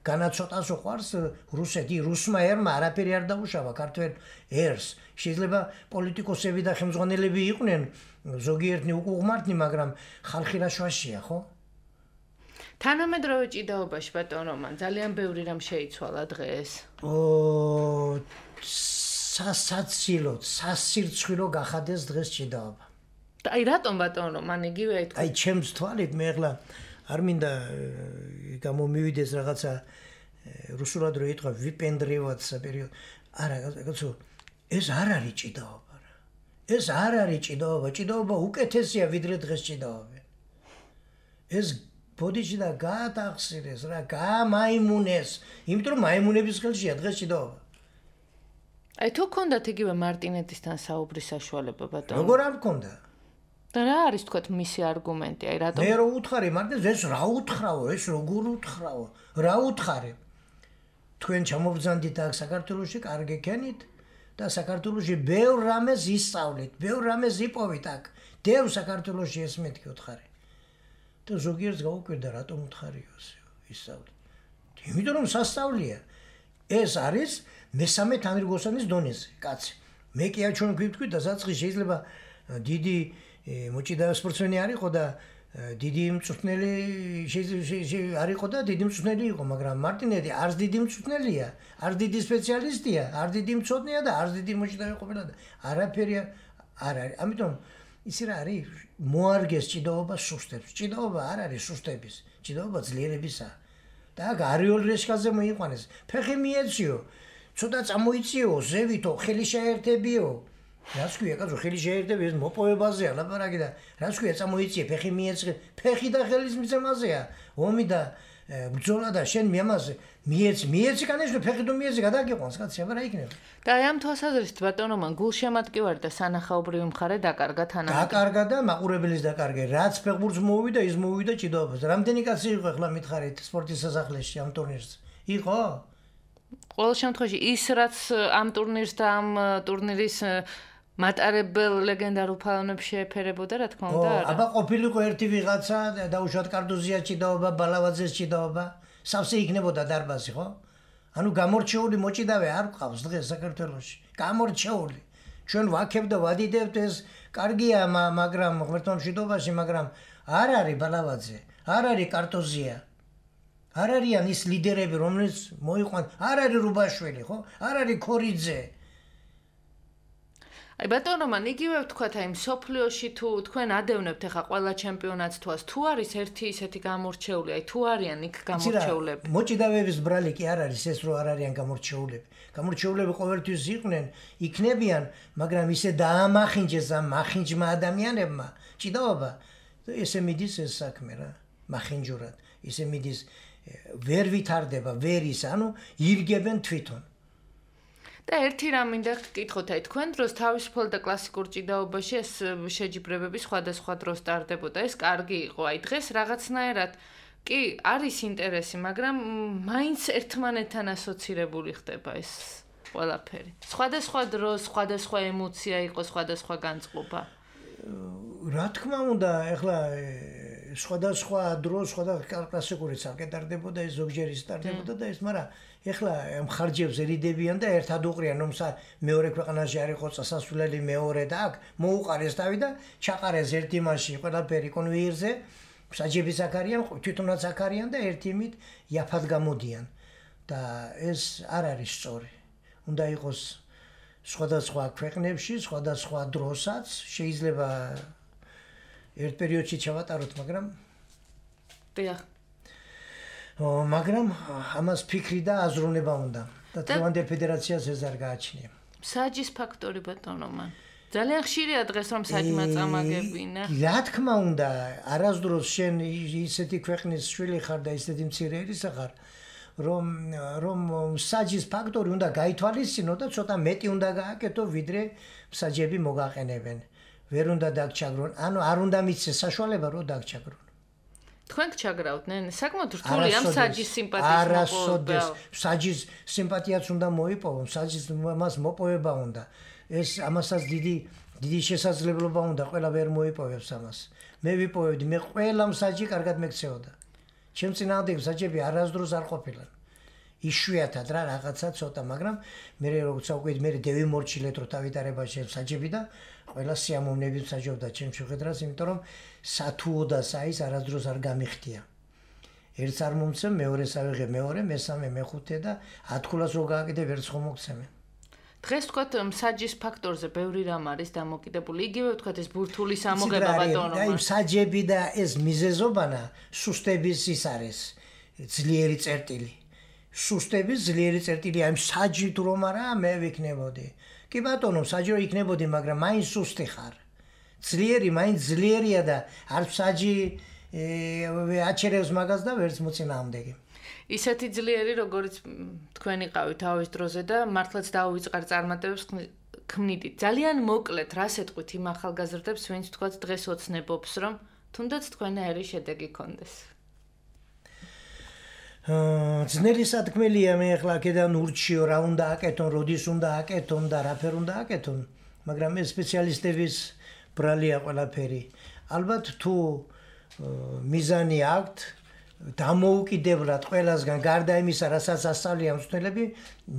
C: განაცოტას უყვარს რუსეთი, რუსმა ერმა არაფერი არ დაუშავა ქართველ ერს. შეიძლება პოლიტიკოსები და ხელმძღვანელები იყვნენ ზოგიერთი უკუღმართნი, მაგრამ ხალხი რა შვაშია, ხო?
B: თანამედროვე ჭიდაობაში ბატონ რომან ძალიან ბევრი რამ შეიცვალა დღეს.
C: ო სასაცილო, სასირცხვილო გახადეს დღეს ჭიდაობა.
B: და აი რატომ ბატონ რომან იგივე აი
C: აი ჩემს თვალით მე ახლა არ მინდა გამომივიდეს რაღაცა რუსულად რო იტყვა ვიპენდრევად საპერიოდ. არა, კაცო, ეს არ არის ჭიდაობა რა. ეს არ არის ჭიდაობა, ჭიდაობა უკეთესია ვიდრე დღეს ჭიდაობა. ეს ბოდიში და გაატახსირეს რა, გამაიმუნეს, იმიტომ რომ მაიმუნების ხელშია დღეს ჭიდაობა.
B: აი თუ გქონდათ იგივე მარტინეტისთან საუბრის საშუალება ბატონო.
C: როგორ არ გქონდა?
B: და რა არის თქვათ მისი არგუმენტი? აი რატომ?
C: მე რო უთხარი, მარტინეს ეს რა უთხრაო, ეს როგორ უთხრაო? რა უთხარი? თქვენ ჩამობრძანდით აქ საქართველოში, კარგი ქენით და საქართველოში ბევრ რამეს ისწავლით, ბევრ რამეს იპოვით აქ. დევ საქართველოში ეს მეთქი უთხარი. და ზოგიერთს გაუკვირდა რატომ უთხარიო ასე ისწავლით. იმიტომ რომ სასწავლია. ეს არის მესამე თანრიგოსანის დონეზე, კაცი. მე კი არ ჩვენ გვიტყვით და საწყის შეიძლება დიდი მოჭიდა სპორტსმენი არ იყო და დიდი მწვრთნელი არ იყო და დიდი მწვრთნელი იყო, მაგრამ მარტინეტი არც დიდი მწვრთნელია, არც დიდი სპეციალისტია, არც დიდი მწვრთნელია და არც დიდი მოჭიდავე ყოფილა და არაფერი არ არის. ამიტომ ისი რა არის? მოარგეს ჭიდაობა სუსტებს. ჭიდაობა არ არის სუსტების, ჭიდაობა ძლიერებისაა. და აქ არიოლ რეშკაზე მოიყვანეს. ფეხი მიეციო, ცოტა წამოიწიო, ზევითო, ხელი შეერთებიო. რას ქვია, კაცო, ხელი შეერთები ეს მოპოვებაზეა ლაპარაკი და რას ქვია, წამოიწიე, ფეხი მიეცხრე, ფეხი და ხელის მიცემაზეა. ომი და ბრძოლა და შენ მიამაზე მიეცი, მიეცი კანიშნო, ფეხი თუ მიეცი გადაგიყვანს, კაცი, აბა რა იქნება?
B: და აი ამ თვალსაზრისით ბატონო მან გულშემატკივარი და სანახაობრივი მხარე დაკარგა თანამედროვე.
C: დაკარგა და მაყურებლის დაკარგა. რაც ფეხბურთს მოუვიდა, ის მოუვიდა ჭიდაობას. რამდენი კაცი იყო ახლა მითხარით სპორტის სასახლეში ამ ტურნირზე? იყო?
B: ყოველ შემთხვევაში ის რაც ამ ტურნირს და ამ ტურნირის მატარებელ ლეგენდარულ ფალონებს შეეფერებოდა, რა თქმა უნდა, არა.
C: აბა ყოფილიყო ერთი ვიღაცა, დაუშვათ კარდოზია ჭიდაობა, ბალავაძეს ჭიდაობა, სავსე იქნებოდა დარბაზი, ხო? ანუ გამორჩეული მოჭიდავე არ ყავს დღეს საქართველოში. გამორჩეული. ჩვენ ვაქებ და ვადიდებთ ეს კარგია, მაგრამ ღმერთმა მშვიდობაში, მაგრამ არ არის ბალავაძე, არ არის კარტოზია. არ არიან ის ლიდერები, რომლებიც მოიყვან, არ არის რუბაშვილი, ხო? არ არის ქორიძე.
B: აი ბატონო, მან იგივე ვთქვათ, აი მსოფლიოში თუ თქვენ ადევნებთ ახლა ყველა ჩემპიონატს თვას, თუ არის ერთი ისეთი გამორჩეული, აი თუ არიან იქ გამორჩეულები.
C: მოჭიდავეების ბრალი კი არ არის ეს, რომ არ არიან გამორჩეულები. გამორჩეულები ყოველთვის იყვნენ, იქნებიან, მაგრამ ისე დაამახინჯეს ამ მახინჯმა ადამიანებმა ჭიდაობა. ესე მიდის ეს საქმე რა, მახინჯურად. ისე მიდის ვერ ვითარდება, ვერ ის, ანუ ირგებენ თვითონ.
B: და ერთი რამ მინდა გკითხოთ, აი თქვენ დროს თავისუფალ და კლასიკურ ჭიდაობაში ეს შეჯიბრებები სხვადასხვა დროს ტარდებოდა, ეს კარგი იყო. აი დღეს რაღაცნაირად კი არის ინტერესი, მაგრამ მაინც ერთმანეთთან ასოცირებული ხდება ეს ყველაფერი. სხვადასხვა დროს, სხვადასხვა ემოცია იყო, სხვადასხვა განწყობა.
C: რა თქმა უნდა, ეხლა სხვადასხვა დროს, სხვადასხვა კლასიკური ცალკე ტარდებოდა, ეს ზოგჯერ ის ტარდებოდა და ეს, მაგრამ ეხლა მხარჯებს ერიდებიან და ერთად უყრიან, რომ მეორე ქვეყანაში არ იყო წასასვლელი მეორე და აქ მოუყარეს თავი და ჩაყარეს ერთ იმაში ყველაფერი კონვეიერზე, საჯებიც აქ არიან, თვითონაც აქ არიან და ერთ იმით იაფად გამოდიან და ეს არ არის სწორი. უნდა იყოს სხვადასხვა ქვეყნებში, სხვადასხვა დროსაც, შეიძლება ერთ პერიოდში ჩავატაროთ, მაგრამ
B: დიახ.
C: მაგრამ ამას ფიქრი და აზროვნება უნდა და დღევანდელ ფედერაციას ეს არ გააჩნია.
B: საჯის ფაქტორი ბატონო მან. ძალიან ხშირია დღეს რომ საჯმა წამაგებინა.
C: რა თქმა უნდა, არასდროს შენ ისეთი ქვეყნის შვილი ხარ და ისეთი მცირე ერისა ხარ, რომ რომ საჯის ფაქტორი უნდა გაითვალისწინო და ცოტა მეტი უნდა გააკეთო, ვიდრე საჯები მოგაყენებენ. ვერ უნდა დაგჩაგრონ, ანუ არ უნდა მიცეს საშუალება რომ დაგჩაგრონ.
B: თქვენ გჩაგრავდნენ? საკმაოდ რთული ამ საჯის სიმპათიის მოპოვება.
C: არასოდეს საჯის სიმპათიაც უნდა მოიპოვონ, საჯის მას მოპოვება უნდა. ეს ამასაც დიდი დიდი შესაძლებლობა უნდა, ყველა ვერ მოიპოვებს ამას. მე ვიპოვებდი, მე ყველა საჯი კარგად მეკცეოდა. ჩემ წინააღმდეგ საჯები არასდროს არ ყოფილან. იშვიათად რა რაღაცა ცოტა, მაგრამ მე როგორც საუკვეთ, მე დევიმორჩილეთ რომ დავითარებაში საჯები და ყველა სიამოვნებით საჯობდა ჩემ შეხედრას, იმიტომ რომ სათუო და საის არასდროს არ გამიხდია. ერთს არ მომცემ, მეორეს ავიღე, მეორე, მესამე, მეხუთე და ათქულას რო გააკეთე, ვერც ხომ მოგცემენ.
B: დღეს ვთქვათ, საჯის ფაქტორზე ბევრი რამ არის დამოკიდებული. იგივე ვთქვათ, ეს ბურთული სამოგება ბატონო.
C: აი საჯები და ეს მიზეზობანა სუსტების ის არის, ძლიერი წერტილი. სუსტების ძლიერი წერტილი, აი საჯით რომ არა, მე ვიქნებოდი. კი ბატონო, საჯი რო იქნებოდი, მაგრამ მაინც სუსტი ხარ. ძლიერი, მაინც ძლიერია და არ საჯი აჩერებს მაგას და ვერც მოწინააღმდეგე.
B: ისეთი ძლიერი, როგორც თქვენ იყავით თავის დროზე და მართლაც დაუვიწყარ წარმატებებს ქმნიდით. ძალიან მოკლედ, რას ეტყვით იმ ახალგაზრდებს, ვინც თქვათ დღეს ოცნებობს, რომ თუნდაც თქვენაერი შედეგი გქონდეს.
C: ძნელი სათქმელია მე ახლა აქედან ურჩიო რა უნდა აკეთონ, როდის უნდა აკეთონ და რაფერ უნდა აკეთონ, მაგრამ ეს სპეციალისტების ბრალია ყველაფერი. ალბათ თუ მიზანი აქვთ დამოუკიდებლად ყველასგან გარდა იმისა, რასაც ასწავლიან მწვრთნელები,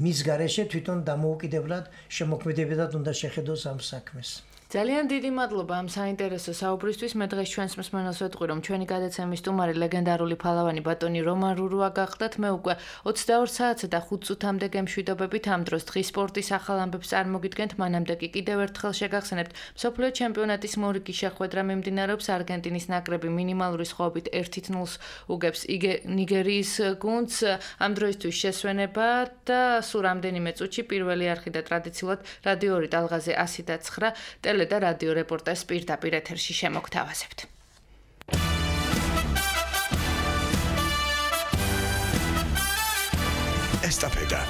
C: მის გარეშე თვითონ დამოუკიდებლად შემოქმედებულად უნდა შეხედოს ამ საქმეს.
B: ძალიან დიდი მადლობა ამ საინტერესო საუბრისთვის. მე დღეს ჩვენს მსმენელს ვეტყვი, რომ ჩვენი გადაცემის სტუმარი ლეგენდარული ფალავანი ბატონი რომან რურუა გახდათ. მე უკვე ოცდაორ საათსა და ხუთ წუთამდე გემშვიდობებით ამ დროს დღის სპორტის ახალ ამბებს წარმოგიდგენთ. მანამდე კი კიდევ ერთხელ შეგახსენებთ, მსოფლიო ჩემპიონატის მორიგი შეხვედრა მიმდინარეობს. არგენტინის ნაკრები მინიმალური სხვაობით ერთ ნულს უგებს ნიგერიის გუნდს. ამ დროისთვის შესვენება და სულ რამდენიმე წუთში პირველი არხი და ტრადიციულად რადიო ორი ტალღაზე ასი და ცხრა და რადიო რეპორტაჟს პირდაპირ ეთერში შემოგთავაზებთ.
D: ესტაფეტა